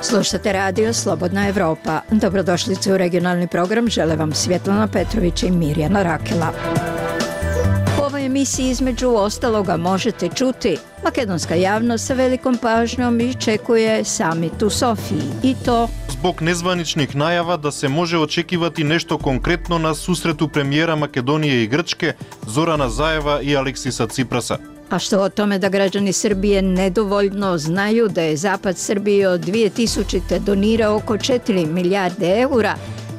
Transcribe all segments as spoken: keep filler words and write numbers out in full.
Slušate radio Slobodna Evropa. Dobrodošlice u regionalni program. Žele vam Svjetlana Petrović i Mirjana Rakela. U ovoj emisiji između ostaloga možete čuti: makedonska javnost sa velikom pažnjom iščekuje samit u Sofiji, i to zbog nezvaničnih najava da se može očekivati nešto konkretno na susretu premijera Makedonije i Grčke Zorana Zaeva i Aleksisa Ciprasa. A što o tome da građani Srbije nedovoljno znaju da je Zapad Srbiji od dvije tisućite donirao oko četiri milijarde eura,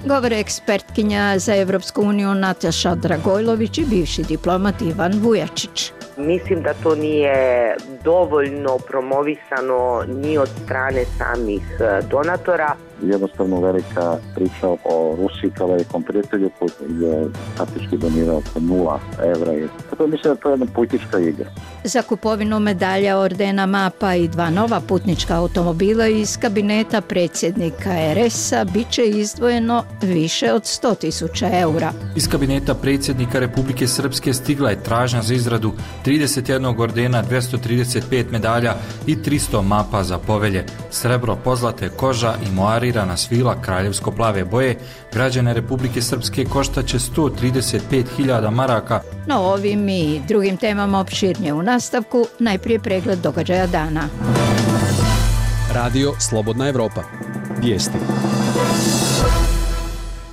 govore ekspertkinja za Evropsku uniju Nataša Dragojlović i bivši diplomat Ivan Vujačić. Mislim da to nije dovoljno promovisano ni od strane samih donatora. Jednostavno velika priča o Rusiji kao velikom prijatelju koji je faktički donirao nula evra. Tako mislim da to je jedna politička igra. Za kupovinu medalja, ordena, mapa i dva nova putnička automobila iz kabineta predsjednika er es-a bit će izdvojeno više od sto tisuća eura. Iz kabineta predsjednika Republike Srpske stigla je tražnja za izradu trideset jedan ordena, dvjesto trideset pet medalja i tristo mapa za povelje. Srebro, pozlate, koža i moarirana svila kraljevsko-plave boje građane Republike Srpske koštaće sto trideset pet hiljada maraka. No, ovim i drugim temama opširnije u nastavku, najprije pregled događaja dana. Radio Slobodna Evropa. Vijesti.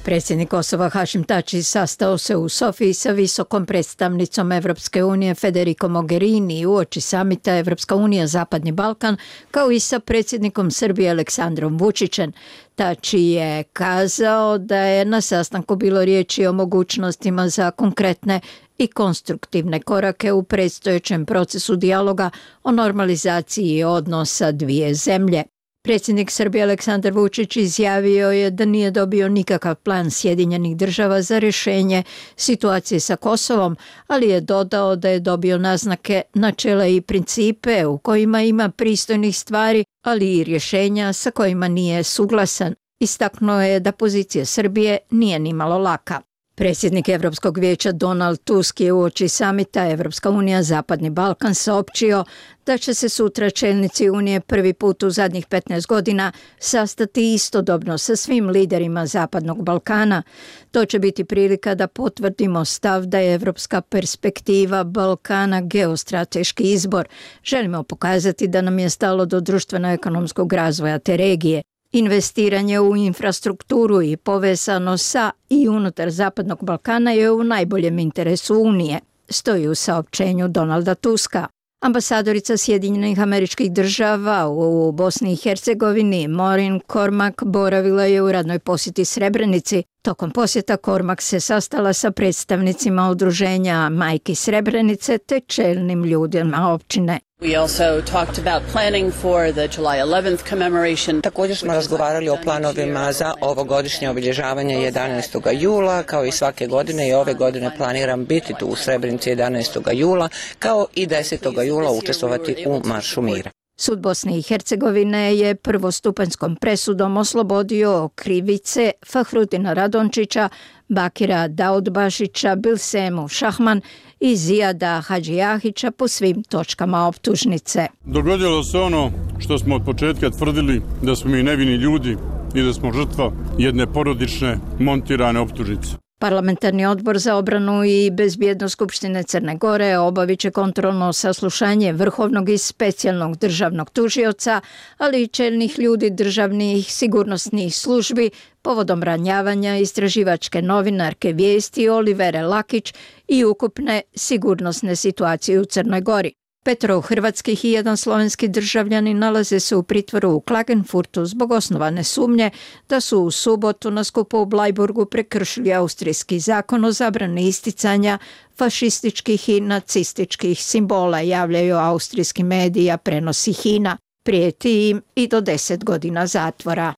Predsjednik Kosova Hašim Tači sastao se u Sofiji sa visokom predstavnicom Evropske unije Federico Mogherini uoči samita Evropska unija Zapadni Balkan, kao i sa predsjednikom Srbije Aleksandrom Vučićem. Tači je kazao da je na sastanku bilo riječi o mogućnostima za konkretne i konstruktivne korake u predstojećem procesu dijaloga o normalizaciji odnosa dvije zemlje. Predsjednik Srbije Aleksandar Vučić izjavio je da nije dobio nikakav plan Sjedinjenih država za rješenje situacije sa Kosovom, ali je dodao da je dobio naznake, načela i principe u kojima ima pristojnih stvari, ali i rješenja sa kojima nije suglasan. Istaknuo je da pozicija Srbije nije nimalo laka. Predsjednik Europskog vijeća Donald Tusk je uoči samita Evropska unija Zapadni Balkan saopćio da će se sutra čelnici Unije prvi put u zadnjih petnaest godina sastati istodobno sa svim liderima Zapadnog Balkana. To će biti prilika da potvrdimo stav da je evropska perspektiva Balkana geostrateški izbor. Želimo pokazati da nam je stalo do društveno-ekonomskog razvoja te regije. Investiranje u infrastrukturu i povezano sa i unutar Zapadnog Balkana je u najboljem interesu Unije, stoji u saopćenju Donalda Tuska. Ambasadorica Sjedinjenih Američkih Država u Bosni i Hercegovini Maureen Cormack boravila je u radnoj posjeti Srebrenici. Tokom posjeta Cormack se sastala sa predstavnicima udruženja Majki Srebrenice te čelnim ljudima općine. We also talked about planning for the July eleventh commemoration. Također smo razgovarali o planovima za ovogodišnje obilježavanje jedanaestog jula, kao i svake godine i ove godine planiram biti tu u Srebrenici jedanaestog jula, kao i desetog jula učestvovati u Maršu mira. Sud Bosne i Hercegovine je prvostupanjskom presudom oslobodio krivice Fahrudina Radončića, Bakira Daudbašića, Bilsemu Šahman i Zijada Hadžijahića po svim točkama optužnice. Dogodilo se ono što smo od početka tvrdili, da smo mi nevini ljudi i da smo žrtva jedne porodične montirane optužnice. Parlamentarni odbor za obranu i bezbjednost Skupštine Crne Gore obavit će kontrolno saslušanje vrhovnog i specijalnog državnog tužioca, ali i čelnih ljudi državnih sigurnosnih službi povodom ranjavanja istraživačke novinarke Vijesti Olivere Lakić i ukupne sigurnosne situacije u Crnoj Gori. Petro hrvatskih i jedan slovenski državljani nalaze se u pritvoru u Klagenfurtu zbog osnovane sumnje da su u subotu na skupu u Blajburgu prekršili austrijski zakon o zabrani isticanja fašističkih i nacističkih simbola, javljaju austrijski mediji, a prenosi Hina. Prijeti im i do deset godina zatvora.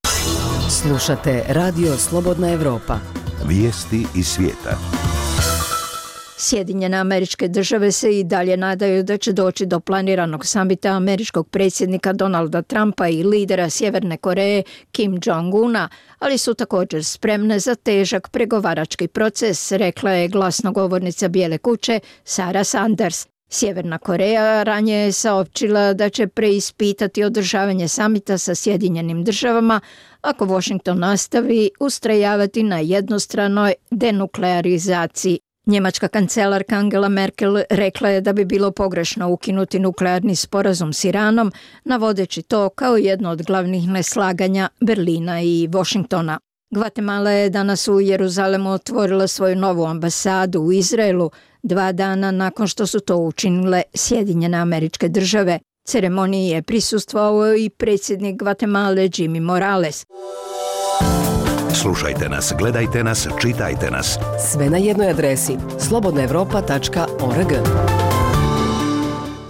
Slušate Radio Slobodna Evropa. Vijesti iz svijeta. Sjedinjene Američke Države se i dalje nadaju da će doći do planiranog samita američkog predsjednika Donalda Trumpa i lidera Sjeverne Koreje Kim Jong-una, ali su također spremne za težak pregovarački proces, rekla je glasnogovornica Bijele kuće Sarah Sanders. Sjeverna Koreja ranije je saopćila da će preispitati održavanje samita sa Sjedinjenim Državama ako Washington nastavi ustrajavati na jednostranoj denuklearizaciji. Njemačka kancelarka Angela Merkel rekla je da bi bilo pogrešno ukinuti nuklearni sporazum s Iranom, navodeći to kao jedno od glavnih neslaganja Berlina i Washingtona. Gvatemala je danas u Jeruzalemu otvorila svoju novu ambasadu u Izraelu, dva dana nakon što su to učinile Sjedinjene Američke Države. Ceremoniji je prisustvovao i predsjednik Gvatemale Jimmy Morales. Slušajte nas, gledajte nas, čitajte nas. Sve na jednoj adresi slobodna europa tačka org.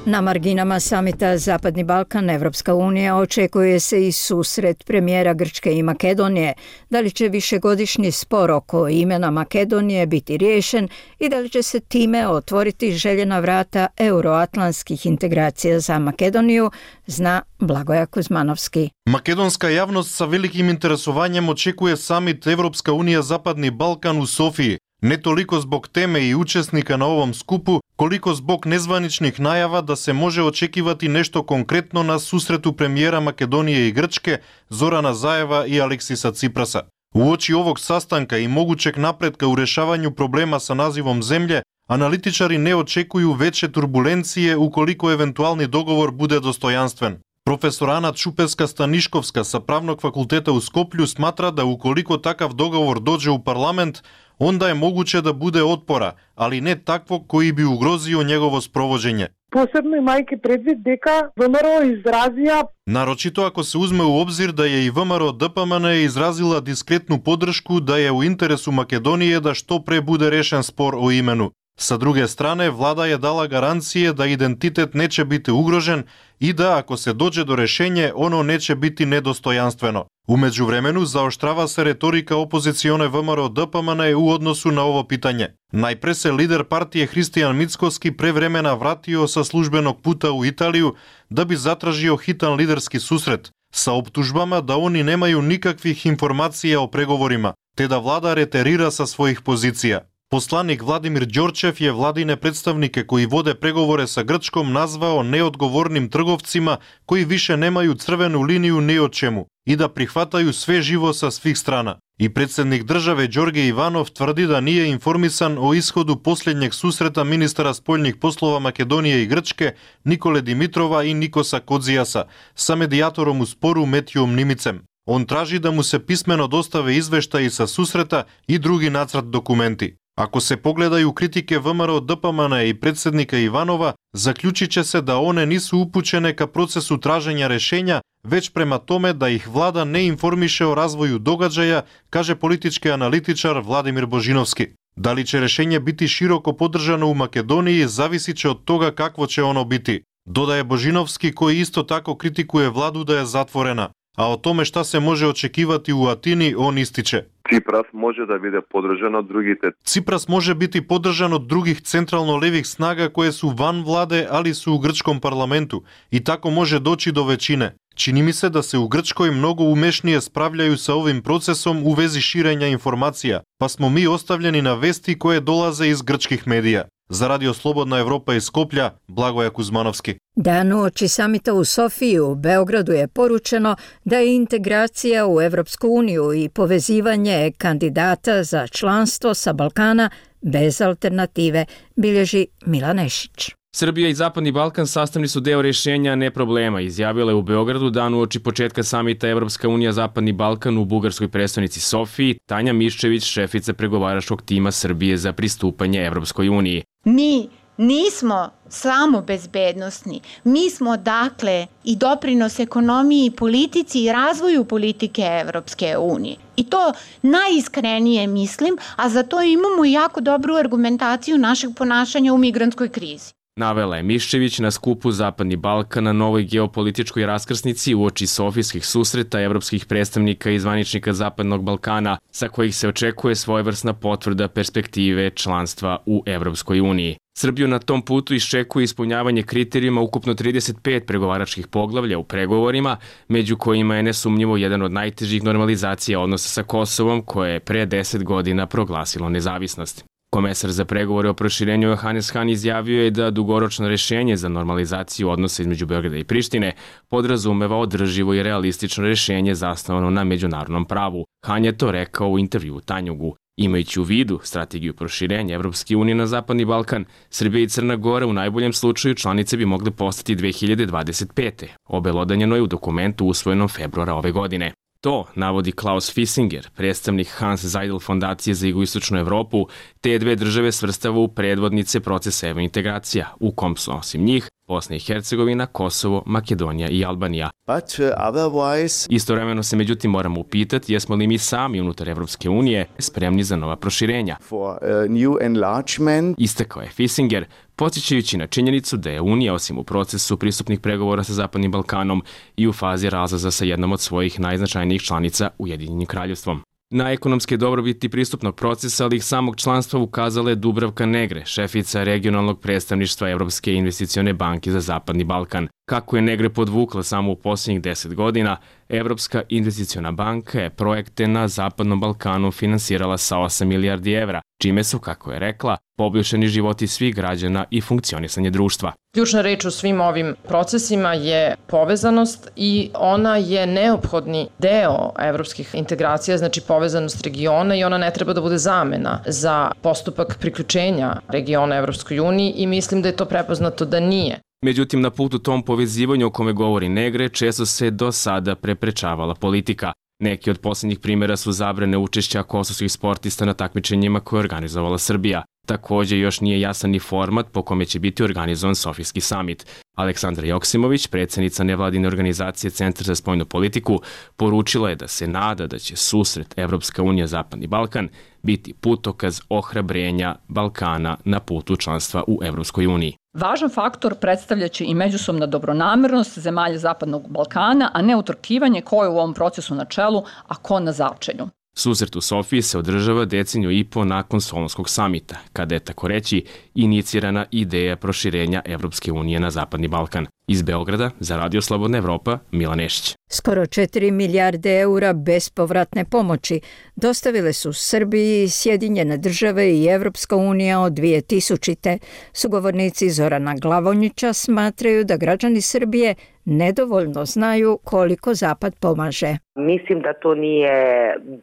Na marginama samita Zapadni Balkan Evropska unija očekuje se i susret premijera Grčke i Makedonije. Da li će višegodišnji spor oko imena Makedonije biti riješen i da li će se time otvoriti željena vrata euroatlantskih integracija za Makedoniju, zna Blagoja Kuzmanovski. Makedonska javnost sa velikim interesovanjem očekuje samit Evropska unija Zapadni Balkan u Sofiji. Ne toliko zbog teme i učesnika na ovom skupu, koliko zbog nezvaničnih najava da se može očekivati nešto konkretno na susretu premijera Makedonije i Grčke Zorana Zaeva i Aleksisa Ciprasa. Uoči ovog sastanka i mogućeg napretka u rješavanju problema sa nazivom zemlje, analitičari ne očekuju veće turbulencije ukoliko eventualni dogovor bude dostojanstven. Profesor Ana Čupeska-Staniškovska sa Pravnog fakulteta u Skoplju smatra da ukoliko takav dogovor dođe u parlament, onda je moguće da bude otpora, ali ne takvog koji bi ugrozio njegovo sprovođenje. Posebno imajke predvid deka V M R O izrazija. Naročito ako se uzme u obzir da je i V M R O D P M N izrazila diskretnu podršku da je u interesu Makedonije da što pre bude rešen spor o imenu. Sa druge strane, vlada je dala garancije da identitet neće biti ugrožen i da ako se dođe do rešenje, ono neće biti nedostojanstveno. U međuvremenu zaoštrava se retorika opozicione V M R O D P M N u odnosu na ovo pitanje. Najpre se lider partije Hristijan Mickoski pre vremena vratio sa službenog puta u Italiju da bi zatražio hitan liderski susret, sa optužbama da oni nemaju nikakvih informacija o pregovorima, te da vlada reterira sa svojih pozicija. Poslanik Vladimir Đorčev je vladine predstavnike koji vode pregovore sa Grčkom nazvao neodgovornim trgovcima koji više nemaju crvenu liniju ni o čemu i da prihvataju sve živo sa svih strana. I predsjednik države Đorđe Ivanov tvrdi da nije informisan o ishodu posljednjeg susreta ministara spoljnih poslova Makedonije i Grčke Nikole Dimitrova i Nikosa Kodzijasa sa medijatorom u sporu Metijom Nimicem. On traži da mu se pismeno dostave izveštaji sa susreta i drugi nacrt dokumenti. Ako se pogledaju kritike V M R O D P M N i predsjednika Ivanova, zaključit će se da one nisu upućene ka procesu traženja rešenja, već prema tome da ih vlada ne informiše o razvoju događaja, kaže politički analitičar Vladimir Božinovski. Da li će rešenje biti široko podržano u Makedoniji, zavisit će od toga kakvo će ono biti. Dodaje Božinovski, koji isto tako kritikuje vladu da je zatvorena. A o tome šta se može očekivati u Atini, on ističe. Cipras može da bude podržan od drugih. Cipras može biti podržan od drugih centralno-levih snaga koje su van vlade, ali su u grčkom parlamentu i tako može doći do većine. Čini mi se da se u Grčkoj mnogo umešnije spravljaju sa ovim procesom u vezi širenja informacija, pa smo mi ostavljeni na vesti koje dolaze iz grčkih medija. Za Radio Slobodna Evropa iz Skoplja, Blagoja Kuzmanovski. Dan uoči samita u Sofiji u Beogradu je poručeno da je integracija u Evropsku uniju i povezivanje kandidata za članstvo sa Balkana bez alternative, bilježi Milan Nešić. Srbija i Zapadni Balkan sastavni su deo rješenja, ne problema, izjavila je u Beogradu dan uoči početka samita Evropska unija Zapadni Balkan u bugarskoj prestonici Sofiji Tanja Miščević, šefica pregovaračkog tima Srbije za pristupanje Evropskoj uniji. Mi nismo samo bezbednosni, mi smo dakle i doprinos ekonomiji, politici i razvoju politike Evropske unije. I to najiskrenije mislim, a za to imamo jako dobru argumentaciju našeg ponašanja u migrantskoj krizi. Navela je Miščević na skupu Zapadni Balkan na novoj geopolitičkoj raskrsnici uoči sofijskih susreta evropskih predstavnika i zvaničnika Zapadnog Balkana, sa kojih se očekuje svojevrsna potvrda perspektive članstva u Evropskoj uniji. Srbiju na tom putu iščekuje ispunjavanje kriterijuma ukupno trideset pet pregovaračkih poglavlja u pregovorima, među kojima je nesumnjivo jedan od najtežih normalizacija odnosa sa Kosovom, koje je pre deset godina proglasilo nezavisnost. Komesar za pregovore o proširenju Johannes Hahn izjavio je da dugoročno rešenje za normalizaciju odnosa između Beograda i Prištine podrazumeva održivo i realistično rešenje zasnovano na međunarodnom pravu. Hahn je to rekao u intervjuu Tanjugu. Imajući u vidu strategiju proširenja Evropske unije na Zapadni Balkan, Srbija i Crna Gora u najboljem slučaju članice bi mogle postati dve hiljade dvadeset pete. Obelodanjeno je u dokumentu usvojenom februara ove godine. To navodi Klaus Fissinger, predstavnik Hans Seidel fondacije za jugoistočnu Evropu, te dve države svrstava u predvodnice procesa evrointegracija, u kom su osim njih Bosna i Hercegovina, Kosovo, Makedonija i Albanija. But, uh, otherwise... Istovremeno se međutim moramo upitati jesmo li mi sami unutar Evropske unije spremni za nova proširenja. For, uh, new enlargement. Istakao je Fissinger, podsjećajući na činjenicu da je Unija osim u procesu pristupnih pregovora sa Zapadnim Balkanom i u fazi razlaza sa jednom od svojih najznačajnijih članica Ujedinjenim kraljevstvom. Na ekonomske dobrobiti pristupnog procesa, ali i samog članstva ukazala je Dubravka Negre, šefica regionalnog predstavništva Evropske investicione banke za Zapadni Balkan. Kako je Negre podvukla samo u posljednjih deset godina, Evropska investiciona banka je projekte na Zapadnom Balkanu finansirala sa osam milijardi evra, čime su, kako je rekla, poboljšani životi svih građana i funkcionisanje društva. Ključna reč u svim ovim procesima je povezanost i ona je neophodni deo evropskih integracija, znači povezanost regiona, i ona ne treba da bude zamena za postupak priključenja regiona Evropskoj uniji i mislim da je to prepoznato da nije. Međutim, na putu tom povezivanju o kome govori Negre često se do sada preprečavala politika. Neki od posljednjih primjera su zabrane učešća kosovskih sportista na takmičenjima koje je organizovala Srbija. Također još nije jasan ni format po kome će biti organizovan Sofijski samit. Aleksandra Joksimović, predsjednica nevladine organizacije Centar za spoljnu politiku, poručila je da se nada da će susret Evropska unija Zapadni Balkan biti putokaz ohrabrenja Balkana na putu članstva u Evropskoj uniji. Važan faktor predstavljaće i međusobna dobronamernost zemalja Zapadnog Balkana, a ne utrkivanje ko je u ovom procesu na čelu, a ko na začelju. Susret u Sofiji se održava deceniju i po nakon Solunskog samita, kada je, tako reći, inicirana ideja proširenja Evropske unije na Zapadni Balkan. Iz Beograda, za Radio Slobodna Evropa, Milan Nešić. Skoro četiri milijarde eura bespovratne pomoći dostavile su Srbiji, Sjedinjene države i Evropska unija od dvije tisućite. Sugovornici Zorana Glavonjića smatraju da građani Srbije nedovoljno znaju koliko Zapad pomaže. Mislim da to nije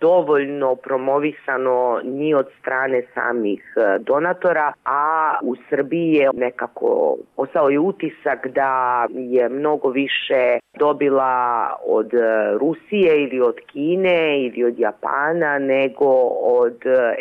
dovoljno promovisano ni od strane samih donatora, a u Srbiji je nekako ostao je utisak da je mnogo više dobila od Rusije ili od Kine ili od Japana nego od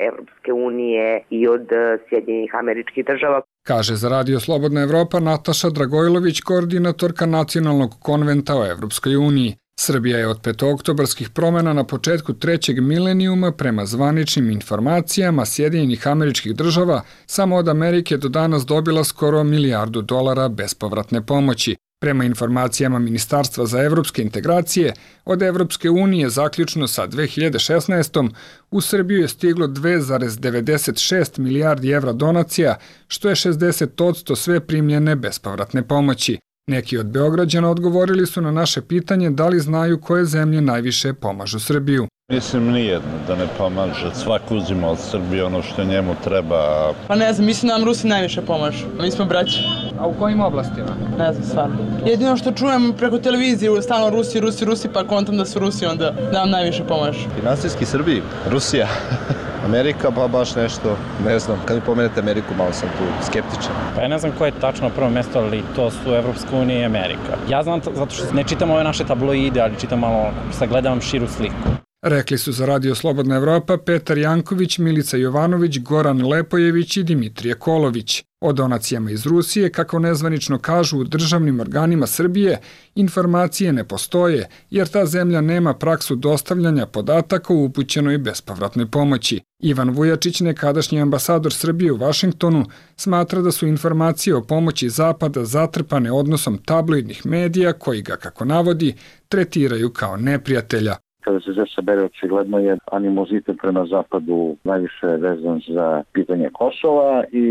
Evropske unije i od Sjedinjenih Američkih Država. Kaže za Radio Slobodna Evropa Nataša Dragojlović, koordinatorka Nacionalnog konventa o Evropskoj uniji. Srbija je od petooktobarskih promjena na početku trećeg milenijuma prema zvaničnim informacijama Sjedinjenih Američkih Država samo od Amerike do danas dobila skoro milijardu dolara bespovratne pomoći. Prema informacijama Ministarstva za evropske integracije, od Evropske unije zaključno sa dve hiljade šesnaestom u Srbiju je stiglo dve zarez devedeset šest milijardi evra donacija, što je šezdeset posto sve primljene bespovratne pomoći. Neki od Beograđana odgovorili su na naše pitanje da li znaju koje zemlje najviše pomažu Srbiju. Mislim nijedno da ne pomaže, svako uzima od Srbije ono što njemu treba. Pa ne znam, mislim da nam Rusi najviše pomažu, mi smo braći. A u kojim oblastima? Ne znam, stvarno. Jedino što čujem preko televizije, stalno Rusi, Rusi, Rusi, pa kontam da su Rusi, onda da nam najviše pomažu. Finansijski Srbiji, Rusija, Amerika, pa baš nešto, ne znam, kad mi pomenete Ameriku, malo sam tu skeptičan. Pa ja ne znam koje je tačno prvo mjesto, ali to su Evropska unija i Amerika. Ja znam zato što ne čitam ove naše tabloide, ali čitam malo, sagledavam širu sliku. Rekli su za Radio Slobodna Evropa Petar Janković, Milica Jovanović, Goran Lepojević i Dimitrije Kolović. O donacijama iz Rusije, kako nezvanično kažu u državnim organima Srbije, informacije ne postoje, jer ta zemlja nema praksu dostavljanja podataka u upućenoj bespovratnoj pomoći. Ivan Vujačić, nekadašnji ambasador Srbije u Vašingtonu, smatra da su informacije o pomoći Zapada zatrpane odnosom tabloidnih medija koji ga, kako navodi, tretiraju kao neprijatelja. Kada se sve sabere, očigledno je animozitet prema Zapadu najviše vezan za pitanje Kosova i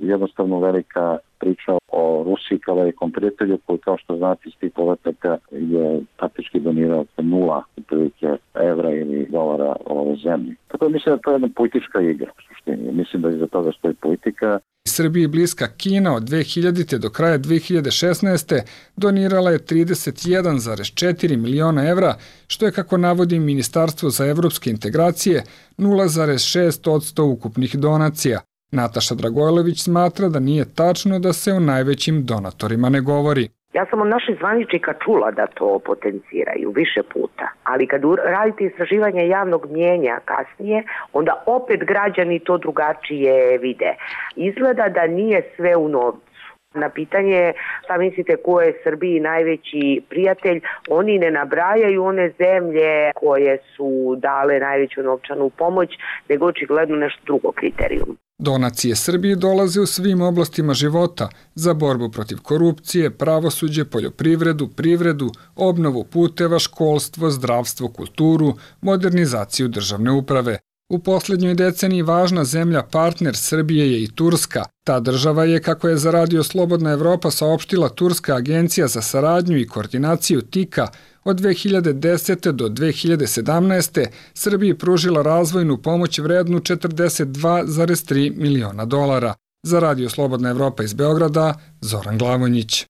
jednostavno velika priča o Rusiji kao velikom prijatelju koji, kao što znate, iz tih podataka je praktički donirao nula otprilike evra ili dolara ove zemlje. Tako da mislim da to je jedna politička igra u suštini. Mislim da iza toga stoji politika. Srbiji bliska Kina od dve hiljadite do kraja dve hiljade šesnaeste. donirala je trideset jedan zarez četiri miliona evra, što je, kako navodi Ministarstvo za evropske integracije, nula zarez šest posto ukupnih donacija. Nataša Dragojlović smatra da nije tačno da se o najvećim donatorima ne govori. Ja sam od naših zvaničnika čula da to potenciraju više puta, ali kad radite istraživanje javnog mnjenja kasnije, onda opet građani to drugačije vide. Izgleda da nije sve u novcu. Na pitanje šta mislite ko je Srbiji najveći prijatelj, oni ne nabrajaju one zemlje koje su dale najveću novčanu pomoć, nego očigledno nešto drugo kriterijum. Donacije Srbiji dolaze u svim oblastima života za borbu protiv korupcije, pravosuđe, poljoprivredu, privredu, obnovu puteva, školstvo, zdravstvo, kulturu, modernizaciju državne uprave. U posljednjoj deceniji važna zemlja partner Srbije je i Turska. Ta država je, kako je za Radio Slobodna Evropa saopštila Turska agencija za saradnju i koordinaciju TIKA, od dve hiljade desete. do dve hiljade sedamnaeste. Srbiji pružila razvojnu pomoć vrednu četrdeset dva zarez tri miliona dolara. Za Radio Slobodna Evropa iz Beograda, Zoran Glavonjić.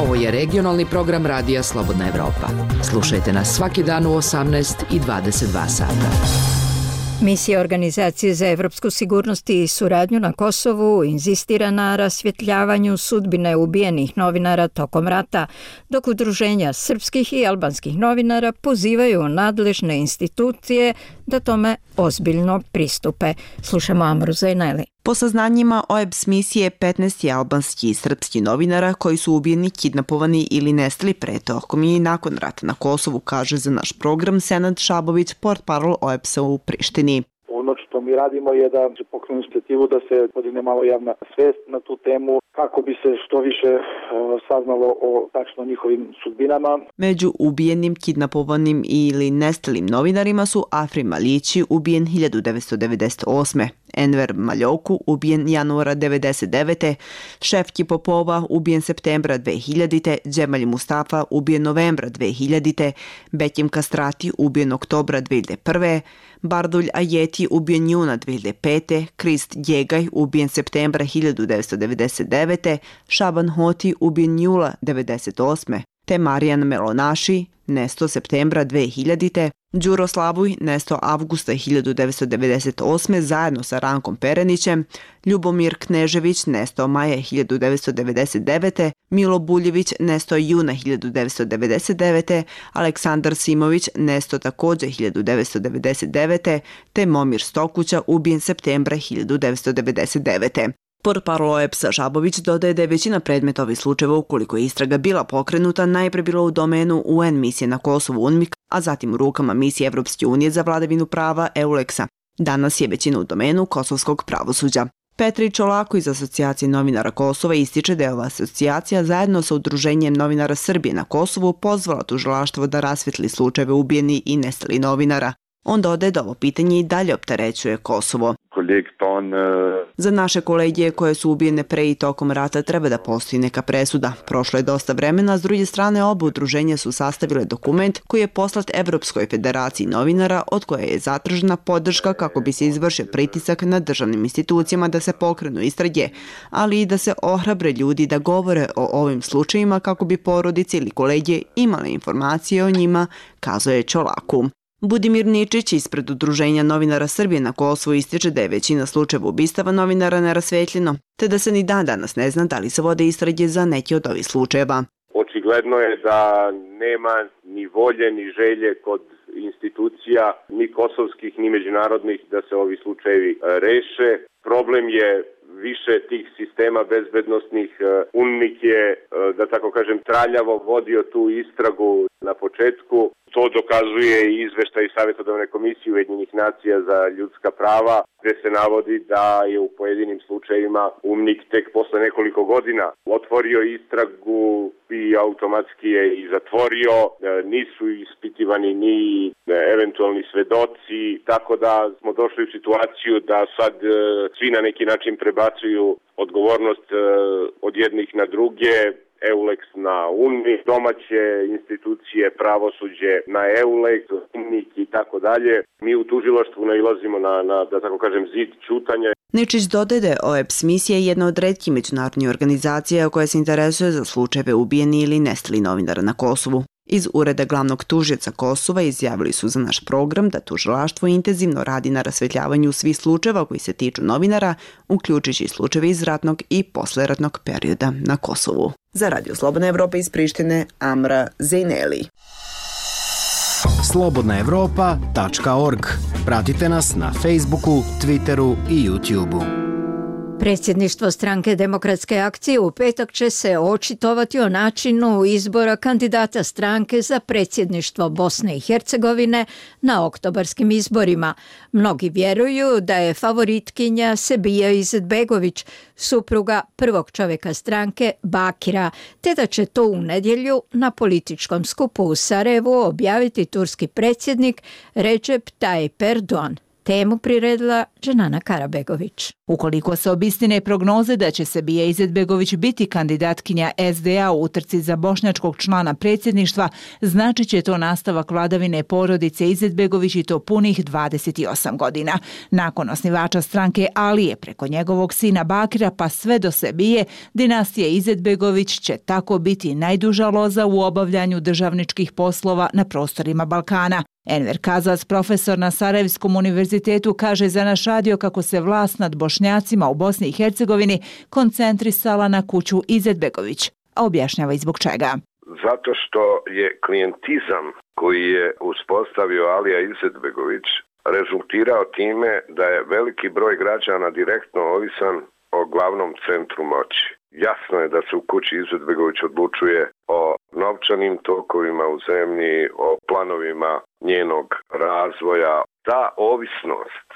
Ovo je regionalni program Radija Slobodna Evropa. Slušajte nas svaki dan u osamnaest i dvadeset dva sata. Misija Organizacije za evropsku sigurnost i suradnju na Kosovu inzistira na rasvjetljavanju sudbine ubijenih novinara tokom rata, dok udruženja srpskih i albanskih novinara pozivaju nadležne institucije da tome ozbiljno pristupe. Slušamo Amru Zajneli. Po saznanjima O E B S misije, petnaest je albanski i srpski novinara koji su ubijeni, kidnapovani ili nestali pre, tokom i nakon rata na Kosovu, kaže za naš program Senad Šabović, portparol O E B S-a u Prištini. Ono što mi radimo je da pokrenu inicijativu da se podigne malo javna svest na tu temu kako bi se što više saznalo o tačno njihovim sudbinama. Među ubijenim, kidnapovanim ili nestalim novinarima su Afrim Malići, ubijen hiljadu devetsto devedeset osme. Enver Maljoku, ubijen januara devedeset devete. Šefki Popova, ubijen septembra dve hiljadite. Džemalj Mustafa, ubijen novembra dve hiljadite. Bekim Kastrati, ubijen oktobra dve hiljade prve. Bardulj Ajeti, ubijen juna dve hiljade pete. Krist Djegaj, ubijen septembra hiljadu devetsto devedeset devete. Šaban Hoti, ubijen jula devedeset osme. Te Marijan Melonaši, nesto septembra dve hiljadite. Đuro Slavuj, nesto avgusta hiljadu devetsto devedeset osme zajedno sa Rankom Perenićem. Ljubomir Knežević, nesto maja hiljadu devetsto devedeset devete. Milo Buljević, nesto juna hiljadu devetsto devedeset devete. Aleksandar Simović, nesto također hiljadu devetsto devedeset devete. Te Momir Stokuća, ubijen septembra hiljadu devetsto devedeset devete. Portparol O E B S-a Žabović dodaje da je većina predmeta ovih slučajeva, ukoliko je istraga bila pokrenuta, najpre bilo u domenu U N misije na Kosovu UNMIK, a zatim u rukama misije Evropske unije za vladavinu prava EULEX-a. Danas je većina u domenu kosovskog pravosuđa. Petri Čolako iz Asocijacije novinara Kosova ističe da je ova asocijacija zajedno sa Udruženjem novinara Srbije na Kosovu pozvala tužilaštvo da rasvetli slučajeve ubijeni i nestali novinara. On dodaje da ovo pitanje i dalje opterećuje Kosovo. Za naše kolegije koje su ubijene pre i tokom rata treba da postoji neka presuda. Prošlo je dosta vremena, a s druge strane oba udruženja su sastavile dokument koji je poslat Evropskoj federaciji novinara, od koje je zatražena podrška kako bi se izvršio pritisak na državnim institucijama da se pokrenu istrage, ali i da se ohrabre ljudi da govore o ovim slučajima kako bi porodice ili kolegije imale informacije o njima, kazuje Čolaku. Budimir Ničić ispred Udruženja novinara Srbije na Kosovu ističe da je većina slučajeva ubistava novinara nerasvetljeno, te da se ni dan danas ne zna da li se vode istrage za neki od ovih slučajeva. Očigledno je da nema ni volje ni želje kod institucija, ni kosovskih, ni međunarodnih, da se ovi slučajevi reše. Problem je više tih sistema bezbednostnih. UNMIK je, da tako kažem, traljavo vodio tu istragu na početku. To dokazuje i izveštaj Savjetodavne komisije Ujedinjenih nacija za ljudska prava, gde se navodi da je u pojedinim slučajevima UNMIK tek posle nekoliko godina otvorio istragu i automatski je i zatvorio. Nisu ispitivani ni eventualni svedoci, tako da smo došli u situaciju da sad svi na neki način prebacuju odgovornost od jednih na druge. EULEX na UNMIK, domaće institucije, pravosuđe na EULEX, UNMIK i tako dalje. Mi u tužilaštvu nailazimo na, na, da tako kažem, zid ćutanja. Ničić dodaje da je O E P S misija jedna od retkih međunarodnih organizacija koja se interesuje za slučajeve ubijeni ili nestali novinara na Kosovu. Iz Ureda glavnog tužioca Kosova izjavili su za naš program da tužilaštvo intenzivno radi na rasvetljavanju svih slučajeva koji se tiču novinara, uključujući slučajeve iz ratnog i posleratnog perioda na Kosovu. Za Radio Slobodna Evropa iz Prištine, Amra Zejneli. slobodna evropa tačka org. Pratite nas na Facebooku, Twitteru i YouTubeu. Predsjedništvo stranke Demokratske akcije u petak će se očitovati o načinu izbora kandidata stranke za predsjedništvo Bosne i Hercegovine na oktobarskim izborima. Mnogi vjeruju da je favoritkinja Sebija Izetbegović, supruga prvog čovjeka stranke Bakira, te da će to u nedjelju na političkom skupu u Sarajevu objaviti turski predsjednik Recep Tayyip Erdogan. Temu priredila Dženana Karabegović. Ukoliko se obistine prognoze da će Sebija Izetbegović biti kandidatkinja S D A u utrci za bošnjačkog člana predsjedništva, znači će to nastavak vladavine porodice Izetbegović i to punih dvadeset osam godina. Nakon osnivača stranke Alije preko njegovog sina Bakira pa sve do Sebije, dinastija Izetbegović će tako biti najduža loza u obavljanju državničkih poslova na prostorima Balkana. Enver Kazas, profesor na Sarajevskom univerzitetu, kaže za naš radio kako se vlast nad Bošnjacima u Bosni i Hercegovini koncentrisala na kuću Izetbegović, a objašnjava i zbog čega. Zato što je klijentizam koji je uspostavio Alija Izetbegović rezultirao time da je veliki broj građana direktno ovisan o glavnom centru moći. Jasno je da se u kući Izetbegović odlučuje o novčanim tokovima u zemlji, o planovima njenog razvoja. Ta ovisnost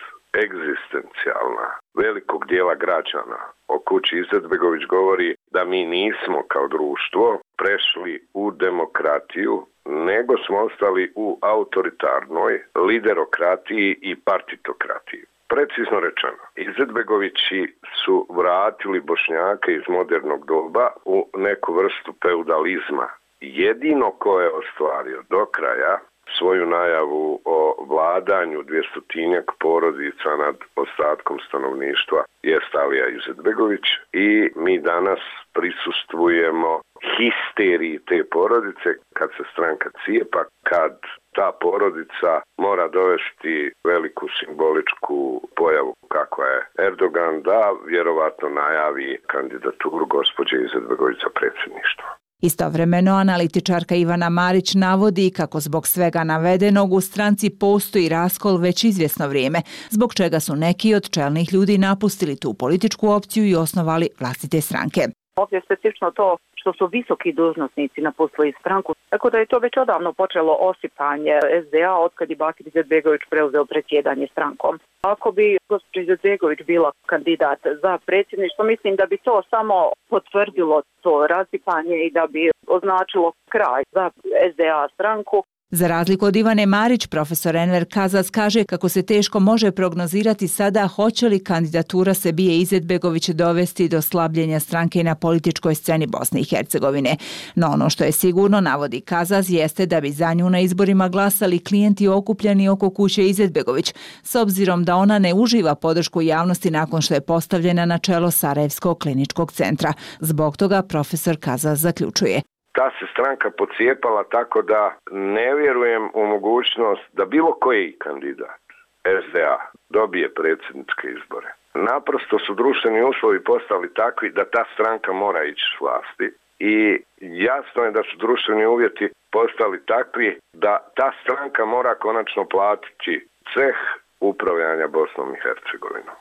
egzistencijalna velikog dijela građana o kući Izetbegović govori da mi nismo kao društvo prešli u demokratiju, nego smo ostali u autoritarnoj liderokratiji i partitokratiji. Precizno rečeno, Izetbegovići su vratili Bošnjake iz modernog doba u neku vrstu feudalizma. Jedino ko je ostvario do kraja svoju najavu o vladanju dvjestotinjak porodica nad ostatkom stanovništva je Alija Izetbegović i mi danas prisustvujemo histeriji te porodice kad se stranka cijepa, kad ta porodica mora dovesti veliku simboličku pojavu kakva je Erdogan da vjerovatno najavi kandidaturu gospođe Izetbegović za predsjedništvo. Istovremeno, analitičarka Ivana Marić navodi kako zbog svega navedenog u stranci postoji raskol već izvjesno vrijeme, zbog čega su neki od čelnih ljudi napustili tu političku opciju i osnovali vlastite stranke. Ovdje je specifično to što su visoki dužnosnici napustili stranku, tako da je to već odavno počelo osipanje S D A otkad je Bakir Izetbegović preuzeo predsjedanje strankom. Ako bi gospođa Izetbegović bila kandidat za predsjedništvo, mislim da bi to samo potvrdilo to rasipanje i da bi označilo kraj za S D A stranku. Za razliku od Ivane Marić, profesor Enver Kazas kaže kako se teško može prognozirati sada hoće li kandidatura Sebije Izetbegović dovesti do slabljenja stranke na političkoj sceni Bosne i Hercegovine. No ono što je sigurno, navodi Kazas, jeste da bi za nju na izborima glasali klijenti okupljeni oko kuće Izetbegović, s obzirom da ona ne uživa podršku javnosti nakon što je postavljena na čelo Sarajevskog kliničkog centra. Zbog toga profesor Kazas zaključuje: ta se stranka pocijepala tako da ne vjerujem u mogućnost da bilo koji kandidat S D A dobije predsjedničke izbore. Naprosto su društveni uslovi postali takvi da ta stranka mora ići s vlasti i jasno je da su društveni uvjeti postali takvi da ta stranka mora konačno platiti ceh upravljanja Bosnom i Hercegovinom.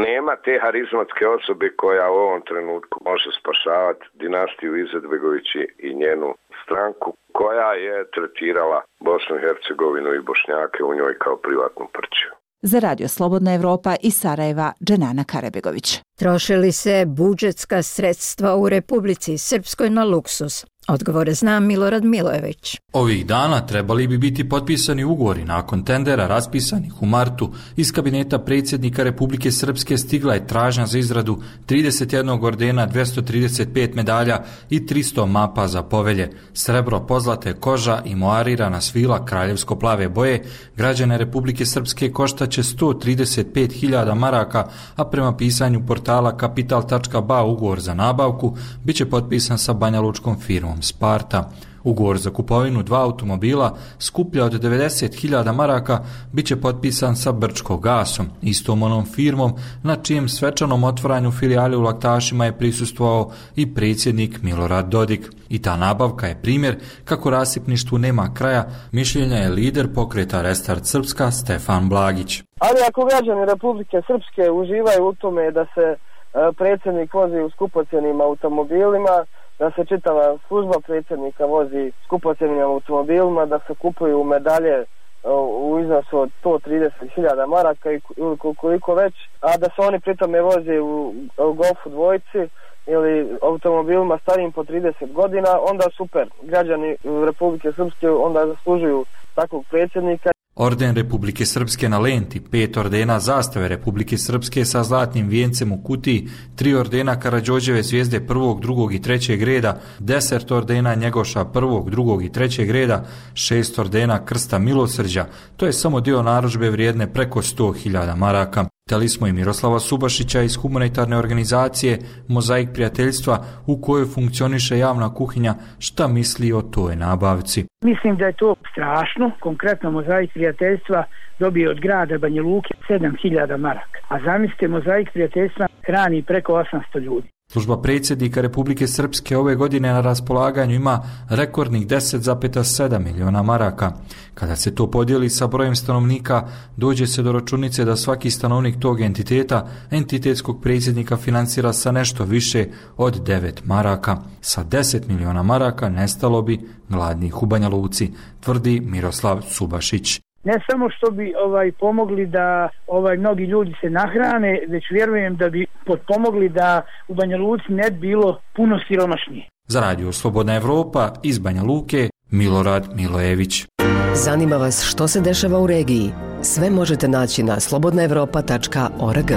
Nema te harizmatske osobe koja u ovom trenutku može spašavati dinastiju Izetbegovići i njenu stranku koja je tretirala Bosnu i Hercegovinu i Bošnjake u njoj kao privatnu prćiju. Za Radio Slobodna Evropa iz Sarajeva, Dženana Karabegović. Troše li se budžetska sredstva u Republici Srpskoj na luksuz? Odgovore zna Milorad Milojević. Ovih dana trebali bi biti potpisani ugovori nakon tendera raspisanih u martu. Iz kabineta predsjednika Republike Srpske stigla je tražnja za izradu trideset jedan ordena, dvjesto trideset pet medalja i tristo mapa za povelje. Srebro, pozlate, koža i moarirana svila kraljevsko-plave boje građane Republike Srpske koštaće sto trideset pet hiljada maraka, a prema pisanju portala kapital tačka ba ugovor za nabavku biće potpisan sa banjalučkom firmom Sparta. Ugovor za kupovinu dva automobila skuplja od devedeset hiljada maraka biće potpisan sa Brčko gasom, istom onom firmom na čijem svečanom otvaranju filijale u Laktašima je prisustvovao i predsjednik Milorad Dodik. I ta nabavka je primjer kako rasipništvu nema kraja, mišljenja je lider pokreta Restart Srpska Stefan Blagić. Ali ako građani Republike Srpske uživaju u tome da se predsjednik vozi u skupocjenim automobilima, da se čitava služba predsjednika vozi skupocjenim automobilima, da se kupuju medalje u iznosu od sto trideset hiljada maraka ili koliko već, a da se oni pritome voze u Golfu dvojci ili automobilima starijim po trideset godina, onda super. Građani Republike Srpske onda zaslužuju takvog predsjednika. Orden Republike Srpske na lenti, pet ordena zastave Republike Srpske sa zlatnim vijencem u kutiji, tri ordena Karađorđeve zvijezde prvog, drugog i trećeg reda, deset ordena Njegoša prvog, drugog i trećeg reda, šest ordena Krsta milosrđa. To je samo dio narudžbe vrijedne preko sto hiljada maraka. Pitali smo i Miroslava Subašića iz humanitarne organizacije Mozaik prijateljstva u kojoj funkcioniše javna kuhinja, šta misli o toj nabavci. Mislim da je to strašno. Konkretno Mozaik prijateljstva dobije od grada Banja Luke sedam hiljada maraka. A zamislite, Mozaik prijateljstva hrani preko osamsto ljudi. Služba predsjednika Republike Srpske ove godine na raspolaganju ima rekordnih deset zarez sedam miliona maraka. Kada se to podijeli sa brojem stanovnika, dođe se do računice da svaki stanovnik tog entiteta, entitetskog predsjednika financira sa nešto više od devet maraka. Sa deset miliona maraka nestalo bi gladnih u Banja Luci, tvrdi Miroslav Subašić. Ne samo što bi ovaj pomogli da ovaj mnogi ljudi se nahrane, već vjerujem da bi potpomogli da u Banja Luci ne bilo puno siromašnije. Za Radio Slobodna Evropa iz Banja Luke, Milorad Milojević. Zanima vas što se dešava u regiji? Sve možete naći na slobodna evropa tačka org.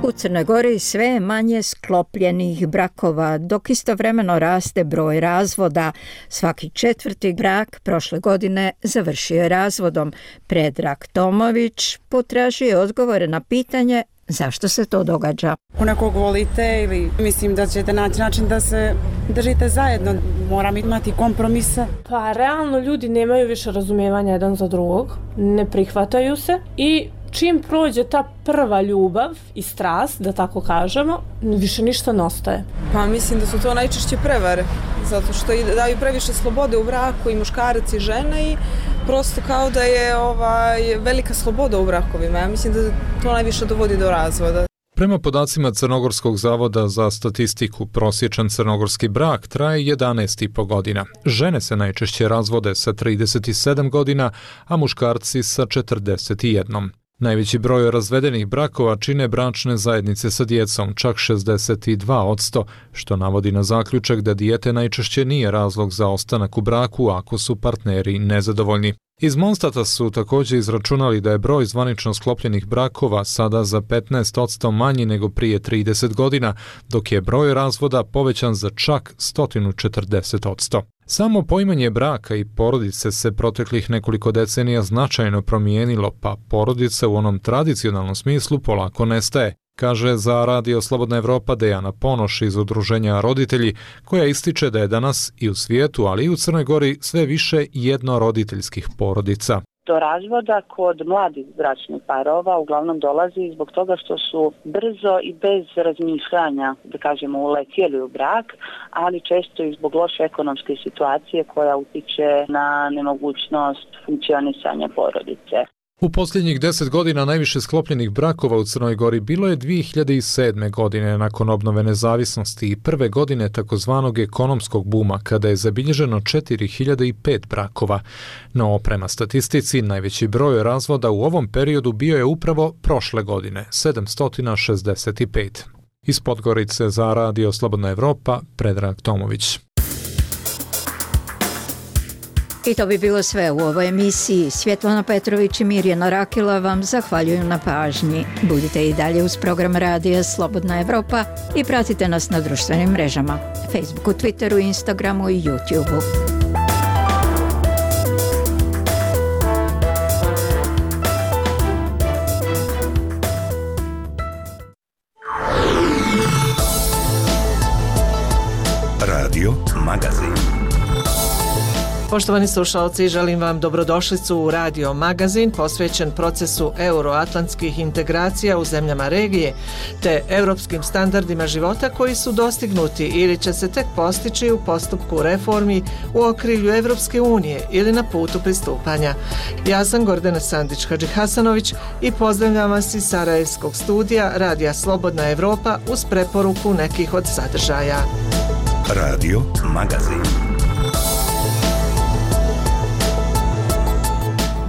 U Crnoj Gori sve je manje sklopljenih brakova, dok istovremeno raste broj razvoda. Svaki četvrti brak prošle godine završio je razvodom. Predrag Tomović potražio odgovore na pitanje zašto se to događa. Ako nekog volite ili mislim da ćete naći način da se držite zajedno, moram imati kompromisa. Pa realno ljudi nemaju više razumijevanja jedan za drugog, ne prihvataju se i čim prođe ta prva ljubav i strast, da tako kažemo, više ništa ne ostaje. Pa mislim da su to najčešće prevare, zato što daju previše slobode u braku i muškarac i žena i prosto kao da je ovaj, velika sloboda u brakovima. Ja mislim da to najviše dovodi do razvoda. Prema podacima Crnogorskog zavoda za statistiku, prosječan crnogorski brak traje jedanaest i po godina. Žene se najčešće razvode sa trideset sedam godina, a muškarci sa četrdeset jedan. Najveći broj razvedenih brakova čine bračne zajednice sa djecom, čak šezdeset dva posto, što navodi na zaključak da dijete najčešće nije razlog za ostanak u braku ako su partneri nezadovoljni. Iz Monstata su također izračunali da je broj zvanično sklopljenih brakova sada za petnaest posto manji nego prije trideset godina, dok je broj razvoda povećan za čak sto četrdeset posto. Samo poimanje braka i porodice se proteklih nekoliko decenija značajno promijenilo, pa porodica u onom tradicionalnom smislu polako nestaje, kaže za Radio Slobodna Evropa Dejana Ponoš iz udruženja Roditelji, koja ističe da je danas i u svijetu, ali i u Crnoj Gori sve više jednoroditeljskih porodica. Do razvoda kod mladih bračnih parova uglavnom dolazi zbog toga što su brzo i bez razmišljanja, da kažemo, uletjeli u brak, ali često i zbog loše ekonomske situacije koja utiče na nemogućnost funkcionisanja porodice. U posljednjih deset godina najviše sklopljenih brakova u Crnoj Gori bilo je dvije hiljade sedme. godine nakon obnove nezavisnosti i prve godine takozvanog ekonomskog buma kada je zabilježeno četiri hiljade pet brakova. No, prema statistici, najveći broj razvoda u ovom periodu bio je upravo prošle godine, sedamsto šezdeset pet. Iz Podgorice za Radio Slobodna Evropa, Predrag Tomović. I to bi bilo sve u ovoj emisiji. Svjetlana Petrović i Mirjana Rakila vam zahvaljuju na pažnji. Budite i dalje uz program Radija Slobodna Evropa i pratite nas na društvenim mrežama, Facebooku, Twitteru, Instagramu i YouTubeu. Radio Magazin. Poštovani slušalci, želim vam dobrodošlicu u Radio Magazin posvećen procesu euroatlantskih integracija u zemljama regije te europskim standardima života koji su dostignuti ili će se tek postići u postupku reformi u okrilju Evropske unije ili na putu pristupanja. Ja sam Gordana Sandić-Hadžihasanović i pozdravljam vas iz Sarajevskog studija Radija Slobodna Evropa uz preporuku nekih od sadržaja. Radio Magazin.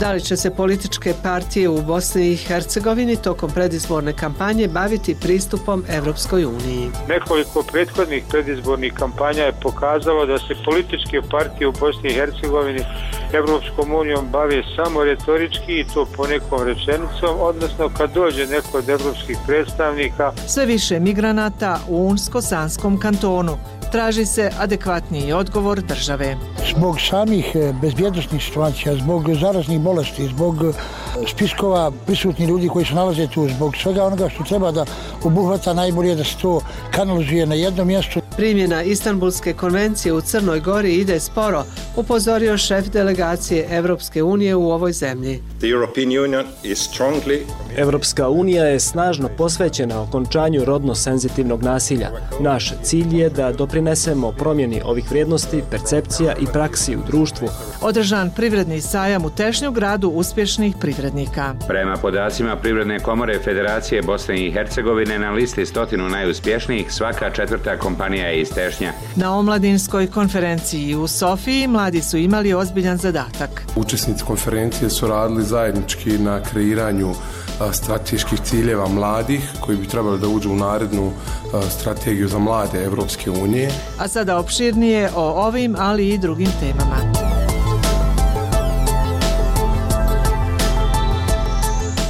Da li će se političke partije u Bosni i Hercegovini tokom predizborne kampanje baviti pristupom Evropskoj uniji? Nekoliko prethodnih predizbornih kampanja je pokazalo da se političke partije u Bosni i Hercegovini Evropskom unijom bave samo retorički i to ponekom rečenicom, odnosno kad dođe neko od evropskih predstavnika. Sve više migranata u Unsko-Sanskom kantonu. Traži se adekvatniji odgovor države. Zbog samih bezbjednosnih situacija, zbog zaraznih bolesti, zbog spiskova prisutnih ljudi koji se nalaze tu, zbog svega onoga što treba da obuhvata, najbolje da se to kanalizuje na jednom mjestu. Primjena Istanbulske konvencije u Crnoj Gori ide sporo, upozorio šef delegacije Evropske unije u ovoj zemlji. Evropska unija je snažno posvećena okončanju rodno senzitivnog nasilja. Naš cilj je da doprinesemo promjeni ovih vrijednosti, percepcija i praksi u društvu. Održan privredni sajam u Tešnju, gradu uspješnih privrednika. Prema podacima Privredne komore Federacije Bosne i Hercegovine na listi stotinu najuspješnijih svaka četvrta kompanija je iz Tešnja. Na omladinskoj konferenciji u Sofiji mladi su imali ozbiljan zadatak. Učesnici konferencije su radili zajednički na kreiranju strateških ciljeva mladih koji bi trebali da uđu u narednu strategiju za mlade Evropske unije. A sada opširnije o ovim, ali i drugim temama.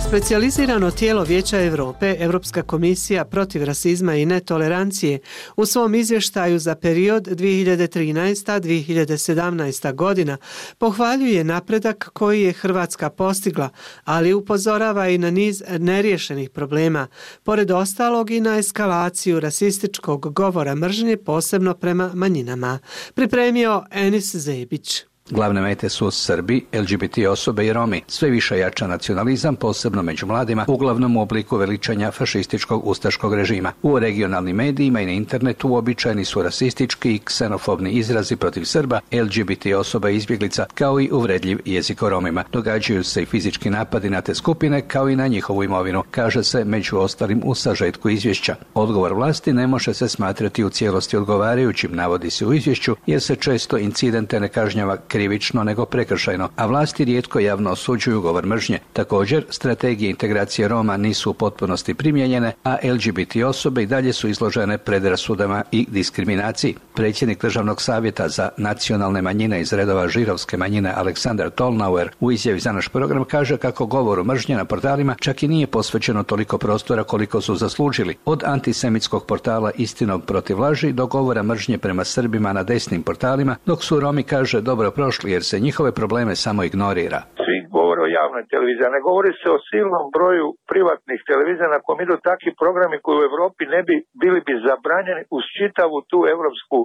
Specijalizirano tijelo Vijeća Europe, Europska komisija protiv rasizma i netolerancije, u svom izvještaju za period dvije hiljade trinaesta do dvije hiljade sedamnaesta. godina pohvaljuje napredak koji je Hrvatska postigla, ali upozorava i na niz neriješenih problema, pored ostalog i na eskalaciju rasističkog govora mržnje, posebno prema manjinama. Pripremio Enis Zebić. Glavne mete su Srbi, L G B T osobe i Romi. Sve više jača nacionalizam, posebno među mladima, uglavnom u obliku veličanja fašističkog ustaškog režima. U regionalnim medijima i na internetu uobičajeni su rasistički i ksenofobni izrazi protiv Srba, L G B T osoba i izbjeglica, kao i uvredljiv jezik o Romima. Događaju se i fizički napadi na te skupine, kao i na njihovu imovinu, kaže se među ostalim u sažetku izvješća. Odgovor vlasti ne može se smatrati u cijelosti odgovarajućim, navodi se u izvješću, jer se često incidente ne kažnjava krivično nego prekršajno, a vlasti rijetko javno osuđuju govor mržnje. Također, strategije integracije Roma nisu u potpunosti primijenjene, a L G B T osobe i dalje su izložene predrasudama i diskriminaciji. Predsjednik Državnog savjeta za nacionalne manjine iz redova židovske manjine Aleksandar Tolnauer u izjavi za naš program kaže kako govoru mržnje na portalima čak i nije posvećeno toliko prostora koliko su zaslužili. Od antisemitskog portala Istinom protiv laži do govora mržnje prema Srbima na desnim portalima, dok su Romi, kaže, dobro prošli jer se njihove probleme samo ignorira. Svi govore o javnoj televiziji, a ne govori se o silnom broju privatnih televizija na kojem idu takvi programi koji u Europi ne bi bili bi zabranjeni uz čitavu tu evropsku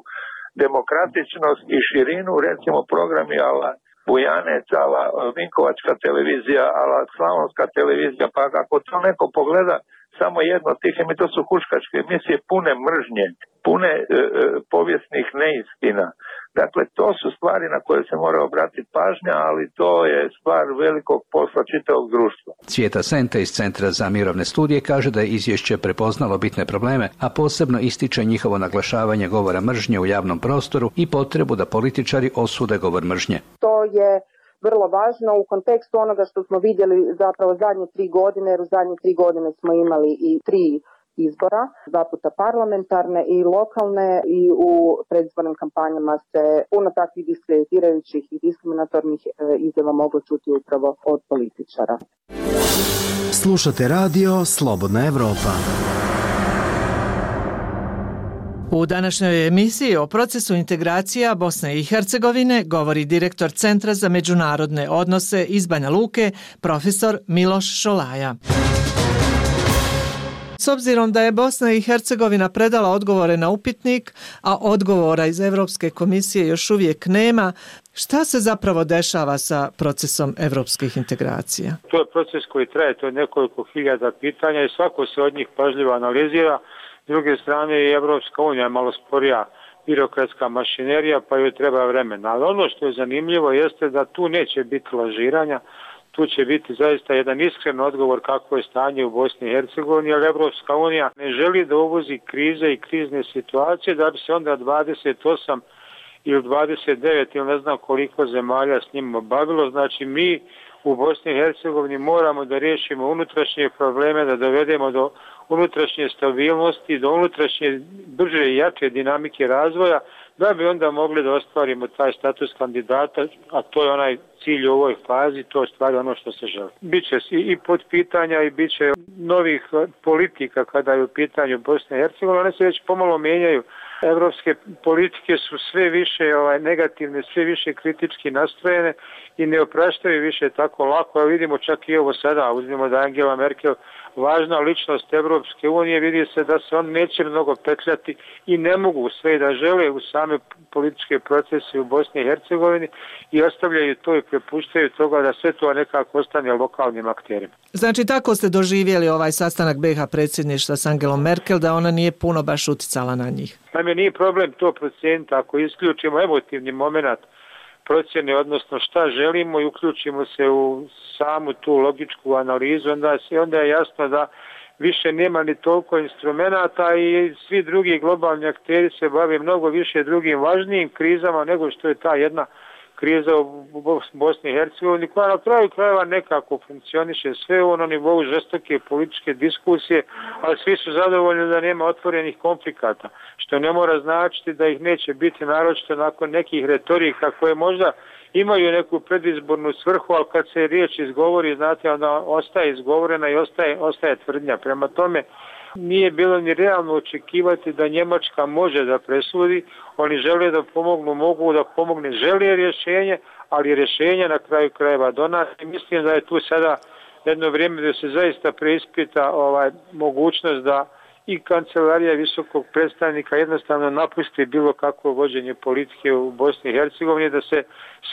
demokratičnost i širinu, recimo programi ala Bujanec, ala Vinkovačka televizija, ala Slavonska televizija, pa ako to neko pogleda samo jedno od tih emisija, to su huškačke emisije pune mržnje, pune e, e, povijesnih neistina. Dakle, to su stvari na koje se mora obratiti pažnja, ali to je stvar velikog posla čitavog društva. Cvijeta Sente iz Centra za mirovne studije kaže da je izvješće prepoznalo bitne probleme, a posebno ističe njihovo naglašavanje govora mržnje u javnom prostoru i potrebu da političari osude govor mržnje. To je vrlo važno u kontekstu onoga što smo vidjeli zapravo zadnje tri godine, jer u zadnje tri godine smo imali i tri izbora, dva puta parlamentarne i lokalne, i u predizbornim kampanjama se puno takvih diskreditirajućih i diskriminatornih izjava moglo čuti upravo od političara. Slušate radio Slobodna Evropa. U današnjoj emisiji o procesu integracija Bosne i Hercegovine govori direktor Centra za međunarodne odnose iz Banja Luke, profesor Miloš Šolaja. S obzirom da je Bosna i Hercegovina predala odgovore na upitnik, a odgovora iz Europske komisije još uvijek nema, šta se zapravo dešava sa procesom evropskih integracija? To je proces koji traje, to je nekoliko hiljada pitanja i svako se od njih pažljivo analizira. S druge strane i Evropska unija je malo sporija birokratska mašinerija, pa joj treba vremena. Ali ono što je zanimljivo jeste da tu neće biti lažiranja, tu će biti zaista jedan iskren odgovor kako je stanje u Bosni i Hercegovini, jer Evropska unija ne želi da uvozi krize i krizne situacije, da bi se onda dvadeset osam ili dvadeset devet ili ne znam koliko zemalja s njima bavilo. Znači mi u Bosni i Hercegovini moramo da riješimo unutrašnje probleme, da dovedemo do unutrašnje stabilnosti, do unutrašnje brže i jače dinamike razvoja, da bi onda mogli da ostvarimo taj status kandidata, a to je onaj cilj u ovoj fazi, to je stvari ono što se želi. Biće i pod pitanja i bit će novih politika kada je u pitanju Bosne i Hercegovine, one se već pomalo mijenjaju. Evropske politike su sve više ovaj, negativne, sve više kritički nastrojene i ne opraštaju više tako lako. A vidimo čak i ovo sada, uzmimo da Angela Merkel važna ličnost Evropske unije, vidi se da se on neće mnogo petljati i ne mogu sve da žele u same političke procese u Bosni i Hercegovini i ostavljaju to i prepuštaju toga da sve to nekako ostane lokalnim akterima. Znači tako ste doživjeli ovaj sastanak B iH predsjedništva s Angelom Merkel, da ona nije puno baš uticala na njih? Naime, nije problem to procijeniti ako isključimo emotivni moment procjene, odnosno šta želimo i uključimo se u samu tu logičku analizu, onda, se, onda je jasno da više nema ni toliko instrumenata i svi drugi globalni akteri se bave mnogo više drugim važnijim krizama nego što je ta jedna kriza u Bosni i Hercegovini, koja na kraju krajeva nekako funkcioniše sve u ono nivou žestoke političke diskusije, ali svi su zadovoljni da nema otvorenih konflikata, što ne mora značiti da ih neće biti, naročito nakon nekih retorika koje možda imaju neku predizbornu svrhu, ali kad se riječ izgovori, znate, onda ostaje izgovorena i ostaje, ostaje tvrdnja. Prema tome, nije bilo ni realno očekivati da Njemačka može da presudi, oni žele da pomognu, mogu da pomogne, žele rješenje, ali rješenje na kraju krajeva donati. Mislim da je tu sada jedno vrijeme da se zaista preispita ovaj, mogućnost da i kancelarija visokog predstavnika jednostavno napusti bilo kakvo vođenje politike u Bosni i Hercegovini, da se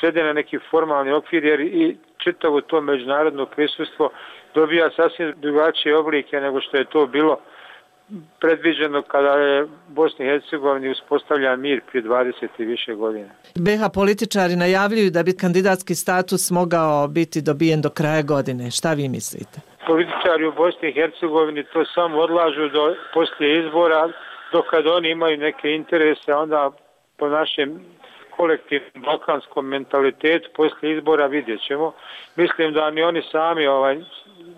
svede na neki formalni okvir, jer i čitavo to međunarodno prisustvo dobija sasvim drugačije oblike nego što je to bilo predviđeno kada je Bosni i Hercegovini uspostavljan mir prije dvadeset i više godina. B iH političari najavljuju da bi kandidatski status mogao biti dobijen do kraja godine. Šta vi mislite? Političari u Bosni i Hercegovini to samo odlažu do poslije izbora, dok kad oni imaju neke interese, onda po našem kolektivnom balkanskom mentalitetu poslije izbora vidjet ćemo. Mislim da ni oni sami ovaj,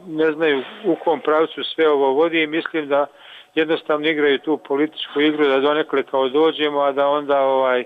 ne znaju u kom pravcu sve ovo vodi i mislim da jednostavno igraju tu političku igru da donekle kao dođemo, a da onda ovaj,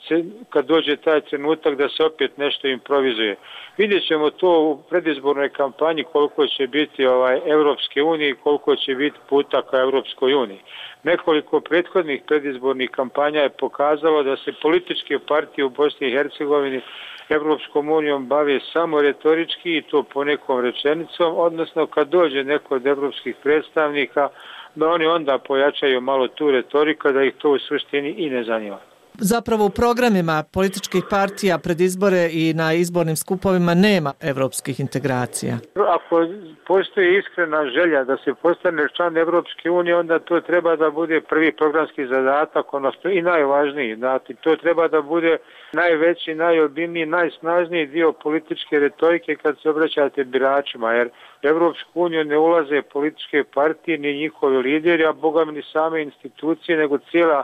se, kad dođe taj trenutak da se opet nešto improvizuje. Vidjet ćemo to u predizbornoj kampanji koliko će biti ovaj, Evropske unije i koliko će biti puta ka Evropskoj uniji. Nekoliko prethodnih predizbornih kampanja je pokazalo da se političke partije u Bosni i Hercegovini Evropskom unijom bave samo retorički i to po nekom rečenicom, odnosno kad dođe neko od evropskih predstavnika da oni onda pojačaju malo tu retoriku, da ih to u suštini i ne zanima. zapravo u programima političkih partija pred izbore i na izbornim skupovima nema evropskih integracija. Ako postoji iskrena želja da se postane član Evropske unije, onda to treba da bude prvi programski zadatak, odnosno i najvažniji. Znači, to treba da bude najveći, najobimniji, najsnažniji dio političke retorike kad se obraćate biračima, jer Evropsku uniju ne ulaze političke partije ni njihovi lideri, a boga mi ni same institucije, nego cijela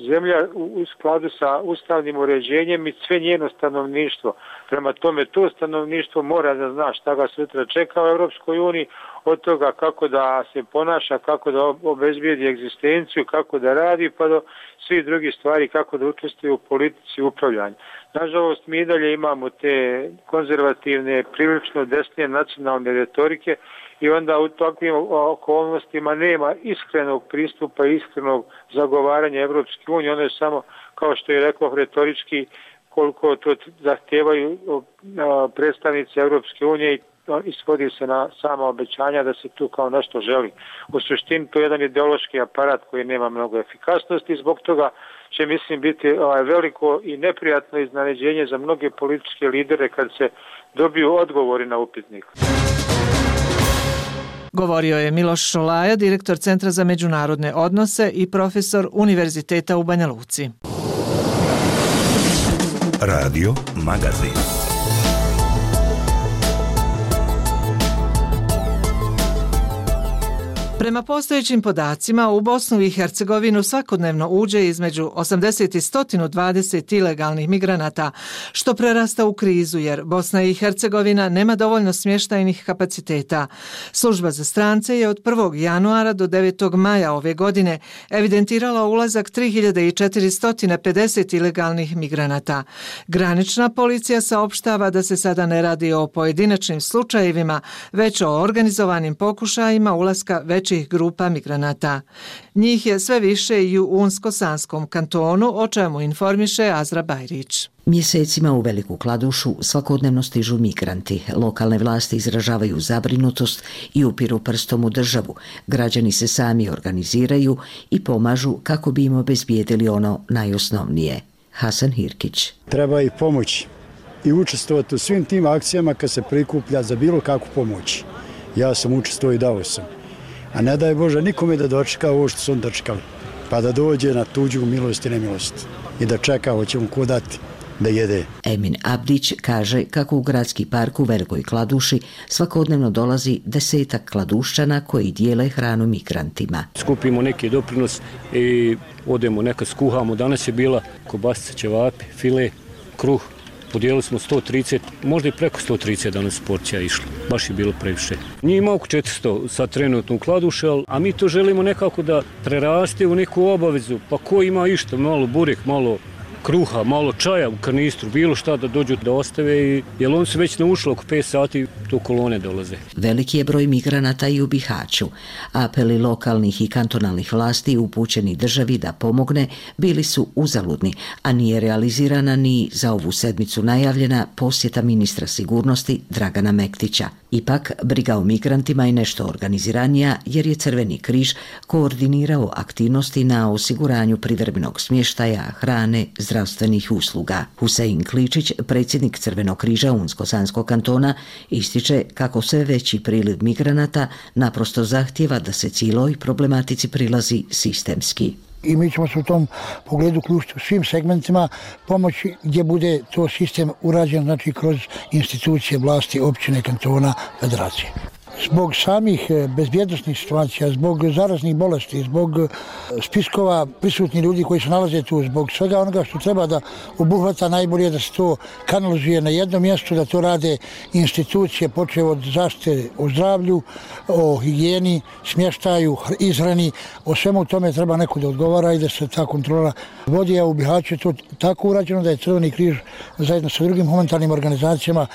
zemlja u skladu sa ustavnim uređenjem i sve njeno stanovništvo. Prema tome, to stanovništvo mora da zna šta ga sutra čeka u Evropskoj uniji, od toga kako da se ponaša, kako da obezbijedi egzistenciju, kako da radi, pa do svih drugih stvari, kako da učestvuje u politici upravljanja. Nažalost, mi dalje imamo te konzervativne, prilično desne nacionalne retorike i onda u takvim okolnostima nema iskrenog pristupa, iskrenog zagovaranja Evropske unije. Ono je samo, kao što je rekao, retorički koliko to zahtijevaju predstavnici Evropske unije i isvodi se na sama obećanja da se tu kao nešto želi. U suštini to je jedan ideološki aparat koji nema mnogo efikasnosti i zbog toga će, mislim, biti ovaj, veliko i neprijatno iznenađenje za mnoge političke lidere kad se dobiju odgovori na upitnik. Govorio je Miloš Šolaja, direktor Centra za međunarodne odnose i profesor Univerziteta u Banja Luci. Radio Magazin. Prema postojećim podacima, u Bosnu i Hercegovinu svakodnevno uđe između osamdeset i sto dvadeset ilegalnih migranata, što prerasta u krizu jer Bosna i Hercegovina nema dovoljno smještajnih kapaciteta. Služba za strance je od prvog januara do devetog maja ove godine evidentirala ulazak tri hiljade četiristo pedeset ilegalnih migranata. Granična policija saopštava da se sada ne radi o pojedinačnim slučajevima, već o organizovanim pokušajima ulaska većih grupa migranata. Njih je sve više i u Unsko-Sanskom kantonu, o čemu informiše Azra Bajrić. Mjesecima u Veliku Kladušu svakodnevno stižu migranti. Lokalne vlasti izražavaju zabrinutost i upiru prstom u državu. Građani se sami organiziraju i pomažu kako bi im obezbijedili ono najosnovnije. Hasan Hirkić. Treba ih pomoći i učestvovati u svim tim akcijama kad se prikuplja za bilo kakvu pomoć. Ja sam učestvovao i dao sam. A ne daj Bože nikome da dočeka ovo što su on dočekali. Pa da dođe na tuđu milost i nemilost. I da čeka hoće mu ko dati da jede. Emin Abdić kaže kako u gradski park u Velikoj Kladuši svakodnevno dolazi desetak kladušćana koji dijele hranu migrantima. Skupimo neki doprinos i odemo nekad skuhamo. Danas je bila kobasica, ćevapi, file, kruh. Podijelili smo sto trideset, možda i preko sto trideset danas porcija išlo. Baš je bilo previše. Nije ima oko četiristo sad trenutno u Kladuši, a mi to želimo nekako da preraste u neku obavezu. Pa ko ima išta, malo burek, malo kruha, malo čaja u kanistru, bilo šta da dođu da ostave, i, jer on se već naušlo oko pet sati, to kolone dolaze. Veliki je broj migranata i u Bihaću. Apeli lokalnih i kantonalnih vlasti upućeni državi da pomogne bili su uzaludni, a nije realizirana ni za ovu sedmicu najavljena posjeta ministra sigurnosti Dragana Mektića. Ipak, briga o migrantima je nešto organiziranija jer je Crveni križ koordinirao aktivnosti na osiguranju privremenog smještaja, hrane, zdravstvenih usluga. Husein Kličić, predsjednik Crvenog križa Unsko-Sanskog kantona, ističe kako sve veći priliv migranata naprosto zahtjeva da se cijeloj problematici prilazi sistemski. I mi ćemo se u tom pogledu uključiti u svim segmentima pomoći gdje bude to sistem urađen, znači kroz institucije vlasti, općine, kantona, federacije. Zbog samih bezbjednosnih situacija, zbog zaraznih bolesti, zbog spiskova prisutnih ljudi koji se nalaze tu, zbog svega onoga što treba da obuhvata, najbolje da se to kanalizuje na jednom mjestu, da to rade institucije, počev od zaštite o zdravlju, o higijeni, smještaju, izhrani, o svemu tome treba neko da odgovara i da se ta kontrola vodi, a u Bihaću je to tako urađeno da je Crveni križ zajedno sa drugim humanitarnim organizacijama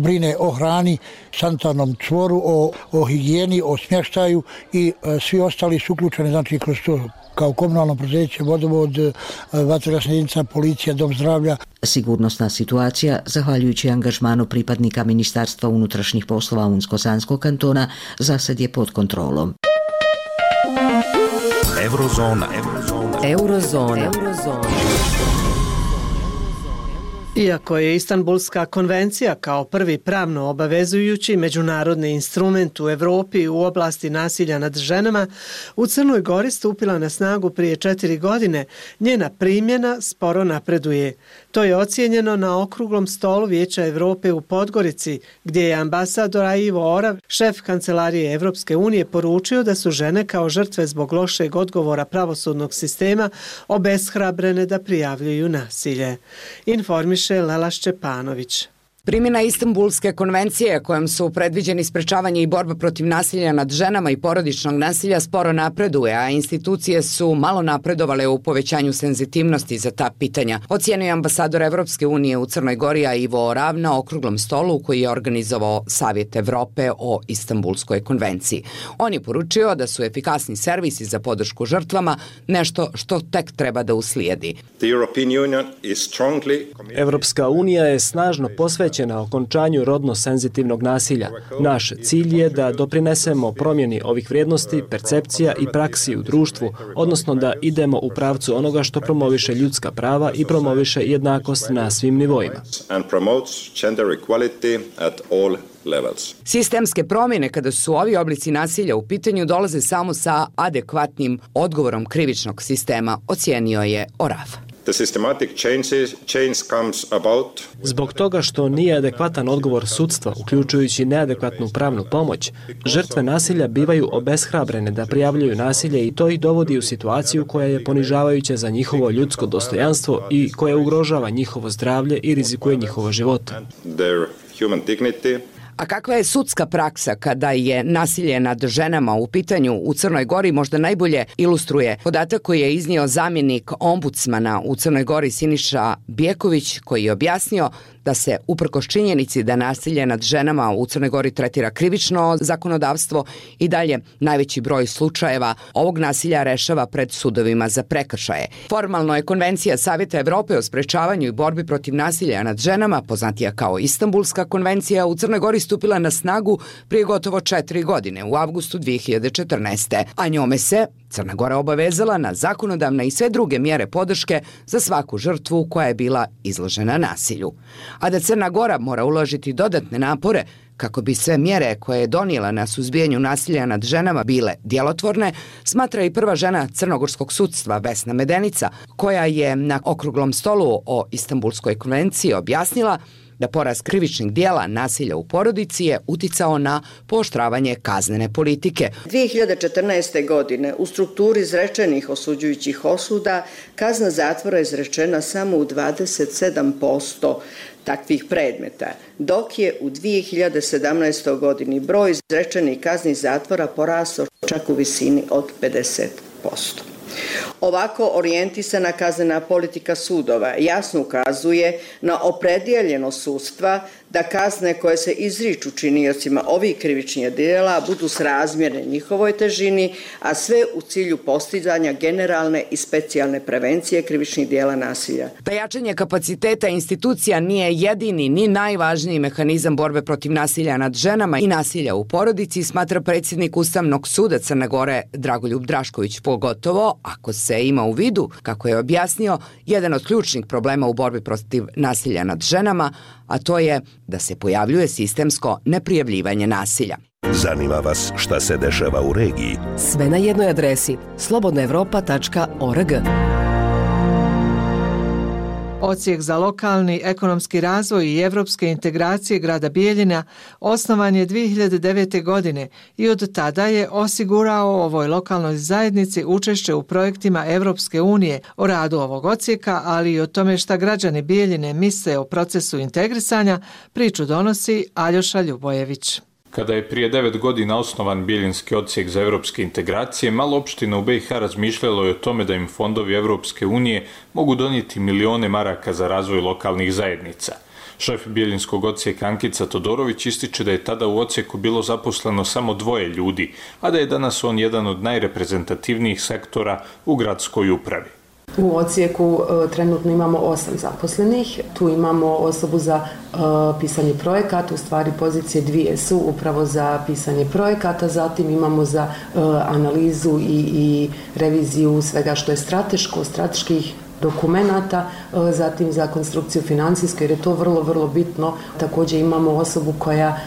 brine o hrani, sanitarnom čvoru, o o higijeni, o smještaju i e, svi ostali su uključeni, znači kroz to kao komunalno preduzeće, vodovod, vatrogasna jedinica, policija, dom zdravlja. Sigurnosna situacija, zahvaljujući angažmanu pripadnika Ministarstva unutrašnjih poslova Unsko-Sanskog kantona, zasad je pod kontrolom. Eurozona. Eurozona. Eurozona. Eurozona. Iako je Istanbulska konvencija kao prvi pravno obavezujući međunarodni instrument u Evropi u oblasti nasilja nad ženama, u Crnoj Gori stupila na snagu prije četiri godine, njena primjena sporo napreduje. To je ocijenjeno na okruglom stolu Vijeća Evrope u Podgorici, gdje je ambasador Ivo Orav, šef Kancelarije Evropske unije, poručio da su žene kao žrtve zbog lošeg odgovora pravosudnog sistema obeshrabrene da prijavljuju nasilje. Informiše Lela Šćepanović. Primjena Istanbulske konvencije kojom su predviđeni sprečavanje i borba protiv nasilja nad ženama i porodičnog nasilja sporo napreduje, a institucije su malo napredovale u povećanju senzitivnosti za ta pitanja, ocijenio je ambasador Evropske unije u Crnoj Gori Ivo Orav na okruglom stolu koji je organizovao Savjet Evrope o Istanbulskoj konvenciji. On je poručio da su efikasni servisi za podršku žrtvama nešto što tek treba da uslijedi. Evropska unija je snažno posvećena na okončanju rodno senzitivnog nasilja. Naš cilj je da doprinesemo promjeni ovih vrijednosti, percepcija i praksi u društvu, odnosno da idemo u pravcu onoga što promoviše ljudska prava i promoviše jednakost na svim nivoima. Sistemske promjene kada su ovi oblici nasilja u pitanju dolaze samo sa adekvatnim odgovorom krivičnog sistema, ocijenio je Orav. Zbog toga što nije adekvatan odgovor sudstva, uključujući neadekvatnu pravnu pomoć, žrtve nasilja bivaju obeshrabrene da prijavljuju nasilje i to ih dovodi u situaciju koja je ponižavajuća za njihovo ljudsko dostojanstvo i koja ugrožava njihovo zdravlje i rizikuje njihovo život. A kakva je sudska praksa kada je nasilje nad ženama u pitanju u Crnoj Gori možda najbolje ilustruje podatak koji je iznio zamjenik ombudsmana u Crnoj Gori Siniša Bjeković, koji je objasnio da se uprkos činjenici da nasilje nad ženama u Crnoj Gori tretira krivično zakonodavstvo i dalje najveći broj slučajeva ovog nasilja rešava pred sudovima za prekršaje. Formalno je Konvencija Savjeta Evrope o sprečavanju i borbi protiv nasilja nad ženama, poznatija kao Istanbulska konvencija, u Crnoj Gori stupila na snagu prije gotovo četiri godine, u avgustu dvije hiljade četrnaeste. A njome se Crna Gora obavezala na zakonodavne i sve druge mjere podrške za svaku žrtvu koja je bila izložena nasilju. A da Crna Gora mora uložiti dodatne napore kako bi sve mjere koje je donijela na suzbijanju nasilja nad ženama bile djelotvorne, smatra i prva žena crnogorskog sudstva Vesna Medenica, koja je na okruglom stolu o Istanbulskoj konvenciji objasnila da porast krivičnih dijela nasilja u porodici je uticao na pooštravanje kaznene politike. dvije hiljade četrnaeste. godine u strukturi izrečenih osuđujućih osuda kazna zatvora je izrečena samo u dvadeset sedam posto takvih predmeta, dok je u dvije hiljade sedamnaestoj. godini broj izrečenih kazni zatvora porastao čak u visini od pedeset posto. Ovako orijentisana kaznena politika sudova jasno ukazuje na opredijeljenost sudstva da kazne koje se izriču činiocima ovih krivičnih djela budu srazmjerne njihovoj težini, a sve u cilju postizanja generalne i specijalne prevencije krivičnih djela nasilja. Da jačanje kapaciteta institucija nije jedini ni najvažniji mehanizam borbe protiv nasilja nad ženama i nasilja u porodici, smatra predsjednik Ustavnog suda Crne Gore Dragoljub Drašković, pogotovo ako se ima u vidu, kako je objasnio, jedan od ključnih problema u borbi protiv nasilja nad ženama, a to je da se pojavljuje sistemsko neprijavljivanje nasilja. Zanima vas šta se dešava u regiji? Sve na jednoj adresi slobodna evropa tačka org. Odsjek za lokalni ekonomski razvoj i evropske integracije grada Bijeljina osnovan je dvije hiljade devete. godine i od tada je osigurao ovoj lokalnoj zajednici učešće u projektima Evropske unije o radu ovog odsjeka, ali i o tome šta građani Bijeljine misle o procesu integrisanja, priču donosi Aljoša Ljubojević. Kada je prije devet godina osnovan Bijeljinski odsjek za evropske integracije, malo opština u B i H razmišljalo je o tome da im fondovi Evropske unije mogu donijeti milione maraka za razvoj lokalnih zajednica. Šef Bijeljinskog odsjeka Ankica Todorović ističe da je tada u odsjeku bilo zaposleno samo dvoje ljudi, a da je danas on jedan od najreprezentativnijih sektora u gradskoj upravi. U odsjeku e, trenutno imamo osam zaposlenih, tu imamo osobu za e, pisanje projekata, u stvari pozicije dvije su upravo za pisanje projekata, zatim imamo za e, analizu i, i reviziju svega što je strateško, strateških dokumenata, zatim za konstrukciju financijsku, jer je to vrlo, vrlo bitno. Također imamo osobu koja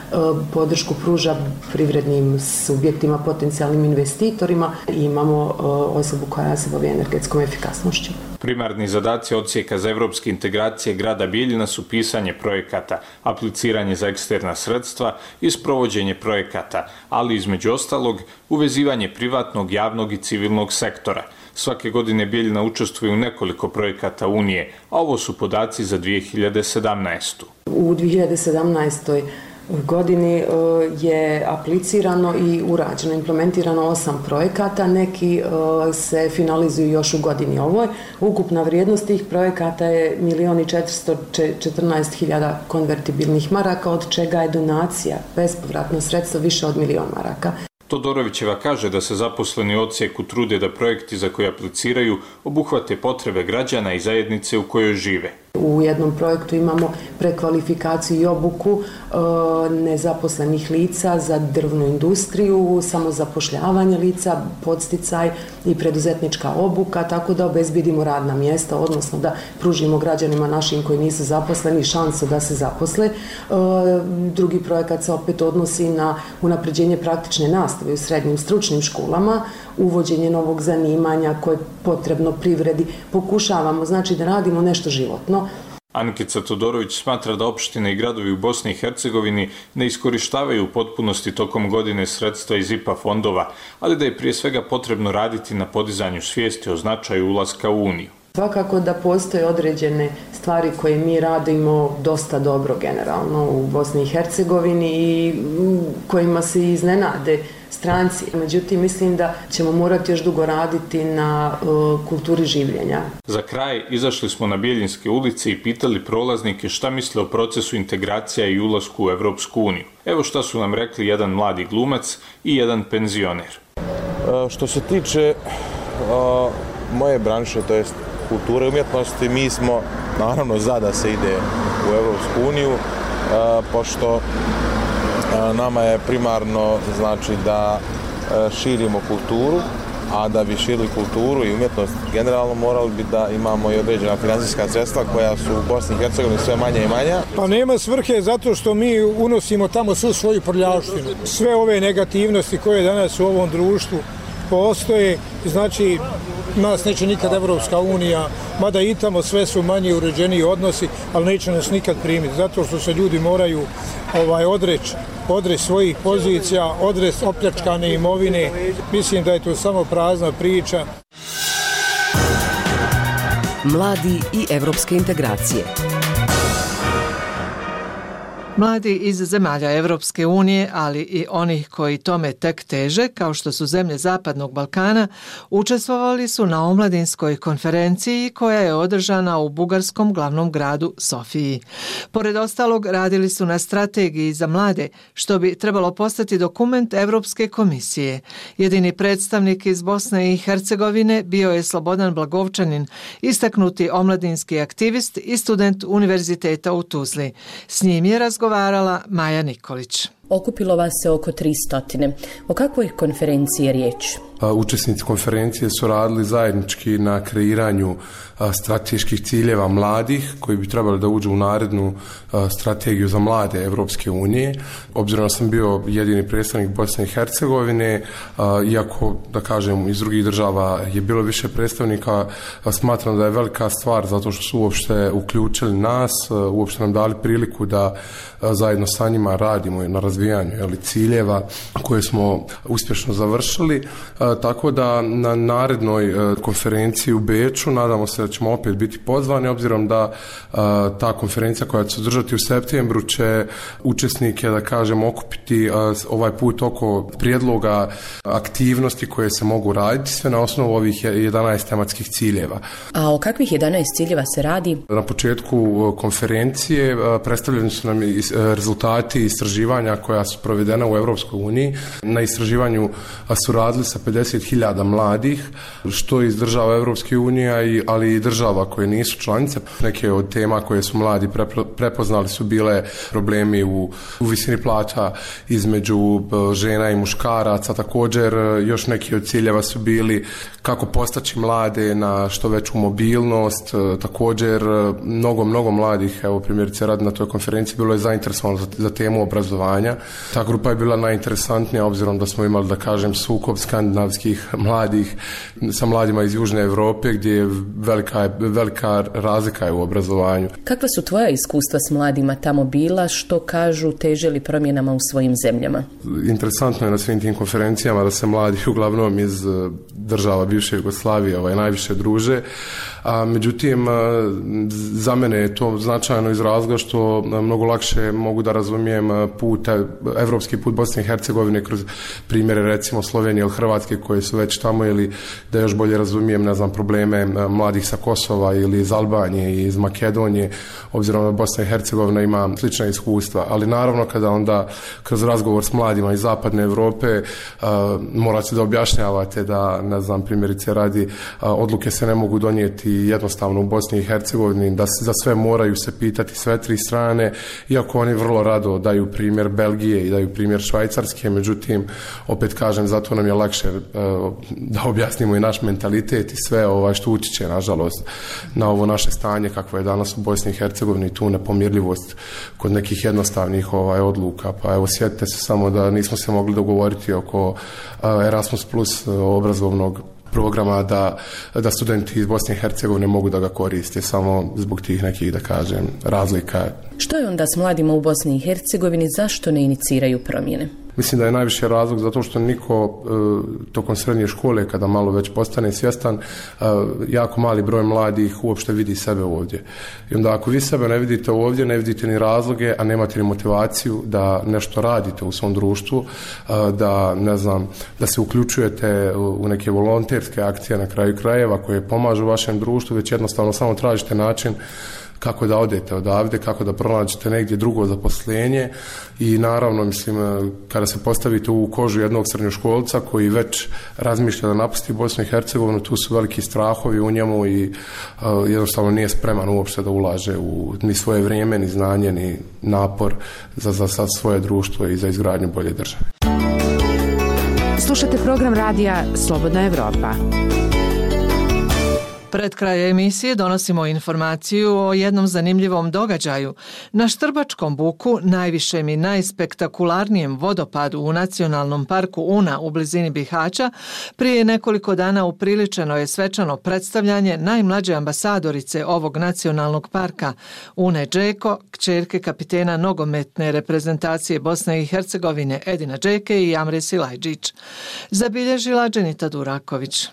podršku pruža privrednim subjektima, potencijalnim investitorima i imamo osobu koja se bavi energetskom efikasnošću. Primarni zadaci odsjeka za evropske integracije grada Bijeljina su pisanje projekata, apliciranje za eksterna sredstva i sprovođenje projekata, ali između ostalog uvezivanje privatnog, javnog i civilnog sektora. Svake godine Bijeljina učestvuje u nekoliko projekata Unije, a ovo su podaci za dvije hiljade sedamnaestu. U dvije hiljade sedamnaestoj godini je aplicirano i urađeno, implementirano osam projekata, neki se finalizuju još u godini ovoj. Ukupna vrijednost tih projekata je milijon i četiristo četrnaest hiljada konvertibilnih maraka, od čega je donacija, bespovratno sredstvo, više od milijon maraka. Todorovićeva kaže da se zaposleni u odsjeku trude da projekti za koje apliciraju obuhvate potrebe građana i zajednice u kojoj žive. U jednom projektu imamo prekvalifikaciju i obuku e, nezaposlenih lica za drvnu industriju, samozapošljavanje lica, podsticaj i preduzetnička obuka, tako da obezbedimo radna mjesta, odnosno da pružimo građanima našim koji nisu zaposleni šansu da se zaposle. E, drugi projekat se opet odnosi na unapređenje praktične nastave u srednjim stručnim školama, uvođenje novog zanimanja koje je potrebno privredi. Pokušavamo znači da radimo nešto životno. Ankica Todorović smatra da opštine i gradovi u Bosni i Hercegovini ne iskorištavaju u potpunosti tokom godine sredstva iz I P A fondova, ali da je prije svega potrebno raditi na podizanju svijesti o značaju ulaska u Uniju. Svakako da postoje određene stvari koje mi radimo dosta dobro generalno u Bosni i Hercegovini i kojima se iznenade stranci. Međutim, mislim da ćemo morati još dugo raditi na uh, kulturi življenja. Za kraj izašli smo na Bijeljinske ulice i pitali prolaznike šta misle o procesu integracija i ulasku u Evropsku uniju. Evo šta su nam rekli jedan mladi glumac i jedan penzioner. Uh, što se tiče uh, moje branše, to jest kulture i umjetnosti, mi smo naravno za da se ide u Evropsku uniju, uh, pošto uh, nama je primarno znači da uh, širimo kulturu, a da bi širili kulturu i umjetnost generalno morali bi da imamo i određena financijska sredstva koja su u Bosni i Hercegovini sve manje i manja. Pa nema svrhe zato što mi unosimo tamo svu svoju prljavštinu. Sve ove negativnosti koje danas u ovom društvu postoje, znači nas neće nikad Evropska unija, mada i tamo sve su manje uređeniji odnosi, ali neće nas nikad primiti, zato što se ljudi moraju ovaj, odreći odreć svojih pozicija, odreć opljačkane imovine. Mislim da je to samo prazna priča. Mladi i evropske integracije. Mladi iz zemalja Evropske unije, ali i onih koji tome tek teže, kao što su zemlje Zapadnog Balkana, učestvovali su na omladinskoj konferenciji koja je održana u bugarskom glavnom gradu Sofiji. Pored ostalog, radili su na strategiji za mlade, što bi trebalo postati dokument Evropske komisije. Jedini predstavnik iz Bosne i Hercegovine bio je Slobodan Blagovčanin, istaknuti omladinski aktivist i student univerziteta u Tuzli. S njim je razgovarala Maja Nikolić. Okupilo vas se oko tristo. O kakvoj konferenciji je riječ? Učesnici konferencije su radili zajednički na kreiranju strateških ciljeva mladih koji bi trebali da uđu u narednu strategiju za mlade Evropske unije. Obzirom da sam bio jedini predstavnik Bosne i Hercegovine, iako da kažem iz drugih država je bilo više predstavnika, smatram da je velika stvar zato što su uopšte uključili nas, uopšte nam dali priliku da zajedno sa njima radimo na razvijanju jeli, ciljeva koje smo uspješno završili. Tako da na narednoj konferenciji u Beču nadamo se da ćemo opet biti pozvani, obzirom da ta konferencija koja će se održati u septembru će učesnike, da kažem, okupiti ovaj put oko prijedloga aktivnosti koje se mogu raditi, sve na osnovu ovih jedanaest tematskih ciljeva. A o kakvih jedanaest ciljeva se radi? Na početku konferencije predstavljeni su nam rezultati istraživanja koja su provedena u Europskoj uniji. Na istraživanju su radili sa pedeset hiljada mladih, što iz država Europske unije, ali i država koje nisu članice. Neke od tema koje su mladi prepoznali su bile problemi u, u visini plaća između žena i muškaraca. Također još neki od ciljeva su bili kako postaći mlade na što veću mobilnost. Također mnogo, mnogo mladih, evo primjerice radi na toj konferenciji, bilo je zainteresovano za, za temu obrazovanja. Ta grupa je bila najinteresantnija obzirom da smo imali, da kažem, sukob skandinavskih mladih sa mladima iz Južne Europe gdje je velika, velika razlika je u obrazovanju. Kakva su tvoja iskustva s mladima tamo bila, što kažu, teže li promjenama u svojim zemljama? Interesantno je na svim tim konferencijama da se mladi uglavnom iz država bivše Jugoslavije ovaj, najviše druže, a međutim za mene je to značajno iz razloga što mnogo lakše mogu da razumijem put, evropski put Bosne i Hercegovine kroz primjere recimo Slovenije ili Hrvatske koje su već tamo, ili da još bolje razumijem, ne znam, probleme mladih sa Kosova ili iz Albanije i iz Makedonije, obzirom da Bosna i Hercegovina ima slična iskustva, ali naravno kada onda kroz razgovor s mladima iz zapadne Europe uh, morate da objašnjavate da, ne znam, primjerice radi, uh, odluke se ne mogu donijeti jednostavno u Bosni i Hercegovini, da se za sve moraju se pitati sve tri strane, iako oni vrlo rado daju primjer Belgije i daju primjer Švajcarske, međutim, opet kažem, zato nam je lakše uh, da objasnimo i naš mentalitet i sve ovaj, što utiče, nažalost, na ovo naše stanje kakvo je danas u Bosni i Hercegovini, tu nepomirljivost kod nekih jednostavnih ovaj, odluka. Pa evo, sjetite se samo da nismo se mogli dogovoriti oko uh, Erasmus plus uh, obrazovnog programa da, da studenti iz Bosne i Hercegovine mogu da ga koriste samo zbog tih nekih, da kažem, razlika. Što je onda s mladima u Bosni i Hercegovini, zašto ne iniciraju promjene? Mislim da je najviše razlog zato što niko e, tokom srednje škole, kada malo već postane svjestan, e, jako mali broj mladih uopšte vidi sebe ovdje. I onda ako vi sebe ne vidite ovdje, ne vidite ni razloge, a nemate ni motivaciju da nešto radite u svom društvu, e, da, ne znam, da se uključujete u neke volonterske akcije na kraju krajeva koje pomažu vašem društvu, već jednostavno samo tražite način kako da odete odavde, kako da pronađete negdje drugo zaposlenje i naravno, mislim, kada se postavite u kožu jednog srednjoškolca koji već razmišlja da napusti Bosnu i Hercegovinu, tu su veliki strahovi u njemu i uh, jednostavno nije spreman uopšte da ulaže u ni svoje vrijeme, ni znanje, ni napor za, za, za svoje društvo i za izgradnju bolje države. Slušate program radija Slobodna Evropa. Pred kraj emisije donosimo informaciju o jednom zanimljivom događaju. Na Štrbačkom buku, najvišem i najspektakularnijem vodopadu u Nacionalnom parku Una u blizini Bihaća, prije nekoliko dana upriličeno je svečano predstavljanje najmlađe ambasadorice ovog nacionalnog parka, Une Džeko, kćerke kapitena nogometne reprezentacije Bosne i Hercegovine Edina Džeke i Amre Silajđić. Zabilježila Dženita Duraković.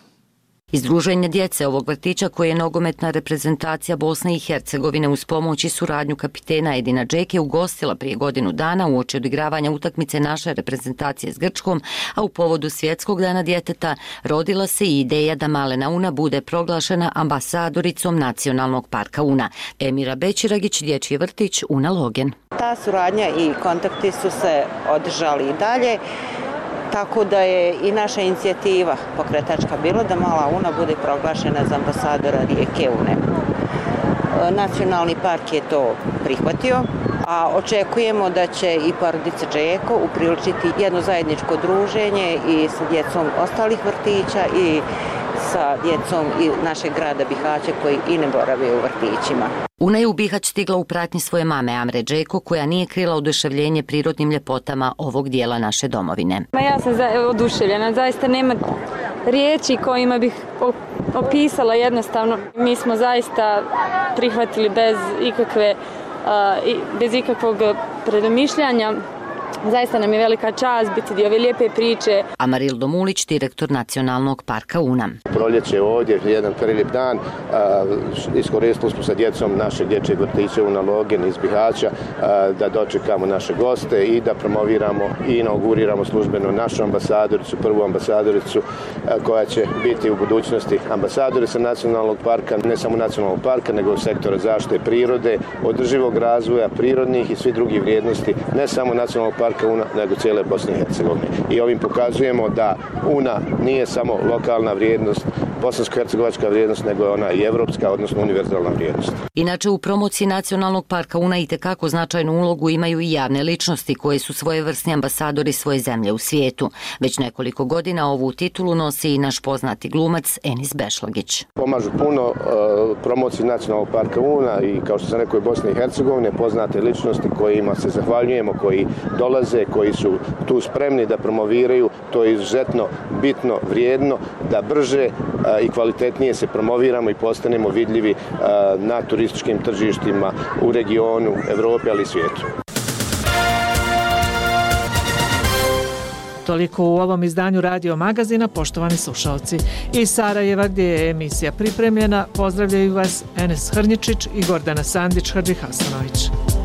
Izdruženje djece ovog vrtića koje je nogometna reprezentacija Bosne i Hercegovine uz pomoć i suradnju kapitena Edina Džeke ugostila prije godinu dana uoči odigravanja utakmice naše reprezentacije s Grčkom, a u povodu Svjetskog dana djeteta rodila se i ideja da malena Una bude proglašena ambasadoricom Nacionalnog parka Una. Emira Bećiragić, dječji vrtić Una Logen. Ta suradnja i kontakti su se održali i dalje. Tako da je i naša inicijativa pokretačka bila da mala Una bude proglašena za ambasadora rijeke Une. Nacionalni park je to prihvatio, a očekujemo da će i porodica Džeko upriličiti jedno zajedničko druženje i sa djecom ostalih vrtića i sa djecom i našeg grada Bihaća koji i ne borave u vrtićima. Una je u Bihać stigla u pratnji svoje mame Amre Džeko, koja nije krila oduševljenje prirodnim ljepotama ovog dijela naše domovine. Ja sam oduševljena, zaista nema riječi kojima bih opisala jednostavno. Mi smo zaista prihvatili bez ikakve, bez ikakvog predomišljanja. Zaista nam je velika čast biti dio ove lijepe priče. Amarildo Mulić, direktor Nacionalnog parka Una. Proljeće ovdje, jedan prelijep dan, iskoristili smo sa djecom našeg dječjeg vrtića Una Logen iz Bihaća da dočekamo naše goste i da promoviramo i inauguriramo službeno našu ambasadoricu, prvu ambasadoricu koja će biti u budućnosti ambasadorica Nacionalnog parka, ne samo Nacionalnog parka, nego sektora zaštite prirode, održivog razvoja, prirodnih i svih drugih vrijednosti, ne samo Nacionalnog parka Una, nego cijele Bosne i Hercegovine. I ovim pokazujemo da Una nije samo lokalna vrijednost, bosansko-hercegovačka vrijednost, nego je ona i evropska, odnosno univerzalna vrijednost. Inače, u promociji Nacionalnog parka Una itekako značajnu ulogu imaju i javne ličnosti koje su svojevrsni ambasadori svoje zemlje u svijetu. Već nekoliko godina ovu titulu nosi i naš poznati glumac Enis Bešlagić. Pomažu puno uh, promociji Nacionalnog parka Una i, kao što sam rekao, i Bosne i Hercegovine, poznate ličnosti kojima se zahvaljujemo, koji dolaze, koji su tu spremni da promoviraju. To je izuzetno bitno, vrijedno, da brže uh, i kvalitetnije se promoviramo i postanemo vidljivi uh, na turističkim tržištima u regionu, Evrope, ali i svijetu. Toliko u ovom izdanju Radio Magazina, poštovani slušalci. Iz Sarajeva, gdje je emisija pripremljena, pozdravljaju vas Enes Hrnjičić i Gordana Sandić-Hadžihasanović.